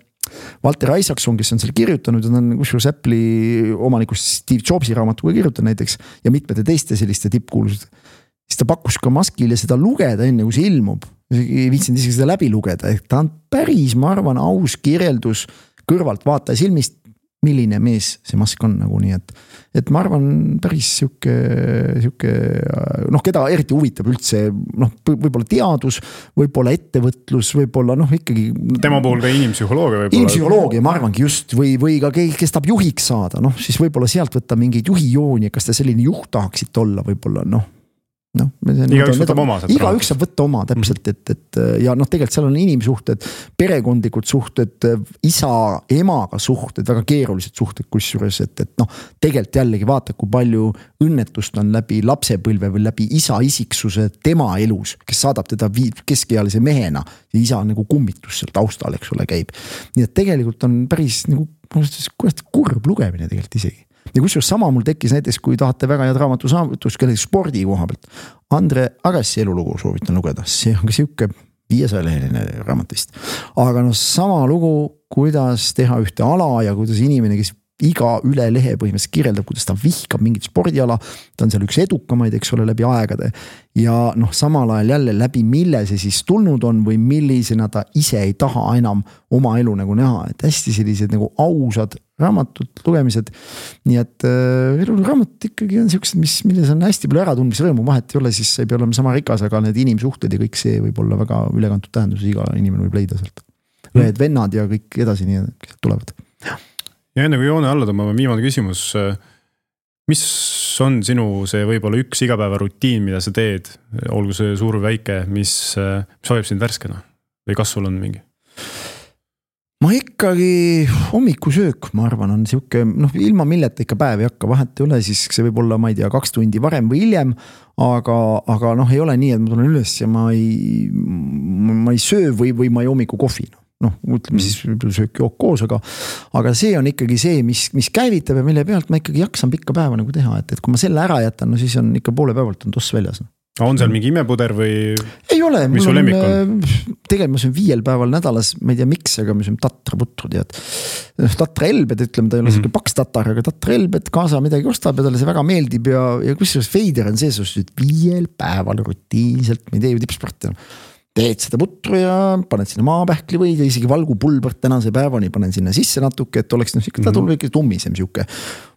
Walter Isaacson, kes on selle kirjutanud, on kusjuures Apple'i omanikust Steve Jobsi raamatuga kirjutanud näiteks ja mitmete teiste selliste tippkuulused, siis ta pakkus ka Muskile seda lugeda enne, kui see ilmub. Ei viitsinud isegi seda läbi lugeda, et ta on päris, ma arvan, aus kirjeldus kõrvalt vaataja silmist, milline mees see Musk on nagu nii, et, et ma arvan päris siuke, siuke, noh, keda eriti huvitab üldse, noh, võib-olla teadus, võib-olla ettevõtlus, võib-olla, noh, ikkagi. Tema puhul ka inimpsühholoogia võib-olla. Inimpsühholoogia, ma arvangi just, või, või ka keegi, kes tahab juhiks saada, noh, siis võib-olla sealt võtta mingeid juhijooni, kas te selline juht tahaksite olla võib-olla, noh. No, iga üks võtab oma. Iga üks saab võtta oma täpselt, et, et ja noh, tegelikult seal on inimsuhted, perekondlikud suhted, isa, emaga suhted, väga keerulised suhted kusjuures, et, et noh, tegelikult jällegi vaata, kui palju õnnetust on läbi lapsepõlve või läbi isa isiksuse tema elus, kes saadab teda keskealise mehena ja isa nagu kummitus seal taustal, eks ole, käib. Nii et tegelikult on päris nagu kurb lugemine tegelikult isegi. Ja kusjuures sama mul tekkis näiteks, kui tahate väga head raamatu saavutus, kellegi spordi koha pealt. Andre Agassi elulugu soovitan lugeda, see on ka siuke viiesaja leheline raamat vist. Aga noh, sama lugu, kuidas teha ühte ala ja kuidas inimene, kes iga üle lehe põhimõtteliselt kirjeldab, kuidas ta vihkab mingit spordiala, ta on seal üks edukamaid, eks ole, läbi aegade. Ja noh, samal ajal jälle läbi mille see siis tulnud on või millisena ta ise ei taha enam oma elu nagu näha, et hästi sellised nagu ausad raamatud, lugemised. Nii et äh, elu raamat ikkagi on sellised, mis, milles on hästi palju äratundmisrõõmu, vahet ei ole, siis ei pea olema sama rikas, aga need inimsuhted ja kõik see võib olla väga ülekantud tähendus, iga inimene võib leida sealt. Ühed vennad ja kõik edasi nii tulevad. Ja enne kui joone alla tõmbame, viimane küsimus. Mis on sinu see võib-olla üks igapäeva rutiin, mida sa teed, olgu see suur või väike, mis, mis hoiab sind värskena? Või kas sul on mingi? Ma ikkagi hommikusöök, ma arvan, on siuke, noh, ilma milleta ikka päev ei hakka, vahet ei ole, siis see võib olla, ma ei tea, kaks tundi varem või hiljem, aga, aga noh, ei ole nii, et ma tulen üles ja ma ei, ma ei söö või, või ma ei hommiku kohvi. noh, ütleme siis söök jook koos, aga, aga see on ikkagi see, mis, mis käivitab ja mille pealt ma ikkagi jaksan pikka päeva nagu teha, et, et kui ma selle ära jätan, no siis on ikka poole päevalt on toss väljas. On seal mingi imepuder või? Ei ole, mis mul on, on tegelikult ma söön viiel päeval nädalas, ma ei tea miks, aga ma söön tatra putrud ja tatra elbed, ütleme, ta ei ole mm -hmm. paks tatar, aga tatra elbed, kaasa midagi ostab ja talle see väga meeldib ja, ja kusjuures veider on see, et viiel päeval rutiinselt, ma ei tee ju tippsporti, teed seda putru ja paned sinna maapähkli või isegi valgupulbert tänase päevani panen sinna sisse natuke, et oleks noh, ta tuleb ikka tummisem siuke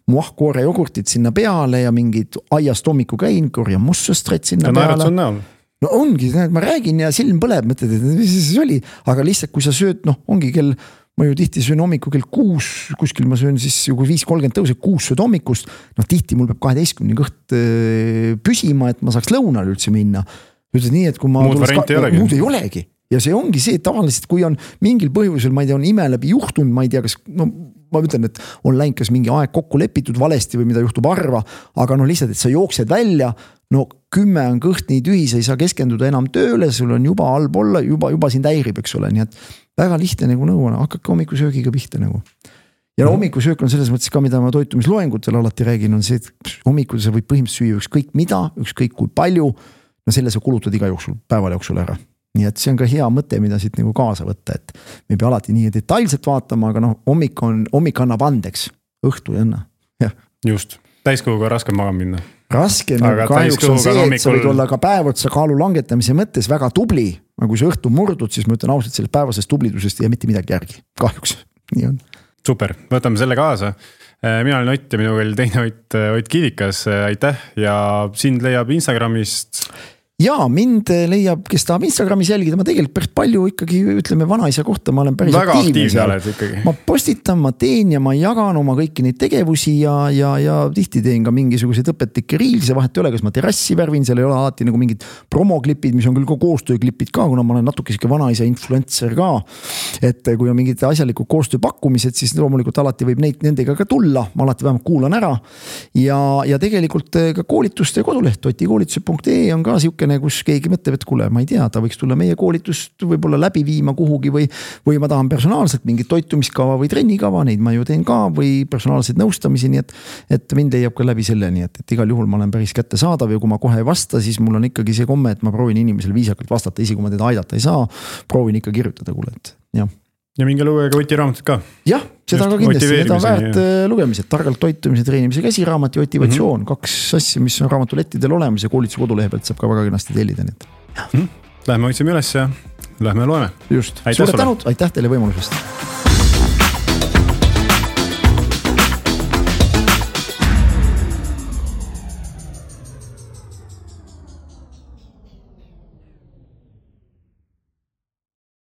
muahkoore jogurtit sinna peale ja mingid aiast hommiku käin, korjan mussustret sinna ja peale. On no ongi, ma räägin ja silm põleb, mõtled, et mis see oli, aga lihtsalt kui sa sööd, noh ongi kell, ma ju tihti söön hommiku kell kuus, kuskil ma söön siis kui viis kolmkümmend tõuseb kuus sööd hommikust, noh tihti mul peab kaheteistkümne kõht püsima, et ma saaks lõunale üldse minna. Ütled nii, et kui ma... Muud varianti ei olegi. Muud ei olegi. Ja see ongi see, et tavaliselt kui on mingil põhjusel, ma ei tea, on ime läbi juhtunud, ma ei tea, kas, no ma ütlen, et on läinud kas mingi aeg kokku lepitud valesti või mida juhtub harva, aga no lihtsalt, et sa jooksed välja, no kümme on kõht nii tühi, sa ei saa keskenduda enam tööle, sul on juba halb olla, juba, juba sind häirib, eks ole, nii et väga lihtne nagu nõu on, hakkake hommikusöögiga pihta nagu. Ja no, hommikusöök on selles mõttes ka, mida ma toitumisloengutel alati räägin, on see, et hommikul sa võid põhimõtteliselt süüa ükskõik mida, ükskõik kui palju, no selle sa kulutad iga jooksul, päeval jooksul ära. Nii et see on ka hea mõte, mida siit nagu kaasa võtta, et me ei pea alati nii detailselt vaatama, aga noh, hommik on, hommik annab andeks, õhtu ei anna. Ja. Just, täiskoguga on raske maga minna. Raske, no kahjuks on see, hommikul... et sa võid olla ka päevotsa kaalu langetamise mõttes väga tubli, aga kui sa õhtu murdud, siis ma ütlen ausalt, sellest päevasest tublidusest ei jää mitte midagi järgi, kahjuks, nii on. Super, võtame selle kaasa. Mina olen Ott ja minuga oli teine Ott, Ott Kivikas, aitäh ja sind leiab Instagramist. Ja mind leiab, kes tahab Instagramis jälgida, ma tegelikult päris palju ikkagi ütleme vanaisa kohta, ma olen päris väga aktiivne oled ikkagi. Ma postitan, ma teen ja ma jagan oma kõiki neid tegevusi ja, ja, ja tihti teen ka mingisuguseid õpetlikke riilse, vahet ei ole, kas ma terrassi värvin, seal ei ole alati nagu mingid promoklipid, mis on küll ka koostööklipid ka, kuna ma olen natuke siuke vanaisa influencer ka, et kui on mingid asjalikud koostööpakkumised, siis loomulikult alati võib neid nendega ka tulla, ma alati vähemalt kuulan ära ja, ja tegelikult ka koolituste koduleht otikoolituse punkt ee on ka siuke kus keegi mõtleb, et kuule, ma ei tea, ta võiks tulla meie koolitust võib-olla läbi viima kuhugi või, või ma tahan personaalselt mingit toitumiskava või trennikava, neid ma ju teen ka või personaalseid nõustamisi, nii et, et mind leiab ka läbi selle, nii et, et igal juhul ma olen päris kättesaadav ja kui ma kohe ei vasta, siis mul on ikkagi see komme, et ma proovin inimesele viisakalt vastata, isi kui ma teda aidata ei saa, proovin ikka kirjutada, kuule, et jah. Ja minge lugege Oti raamatut ka. Jah, seda Just ka kindlasti, need on väärt ja... lugemised, targalt toitumise, treenimise käsiraamat ja motivatsioon, mm -hmm. kaks asja, mis on raamatulettidel olemas ja koolituse kodulehe pealt saab ka väga kenasti tellida. Mm -hmm. Lähme otsime üles ja lähme loeme. Just, suure tänud, aitäh teile võimalusest.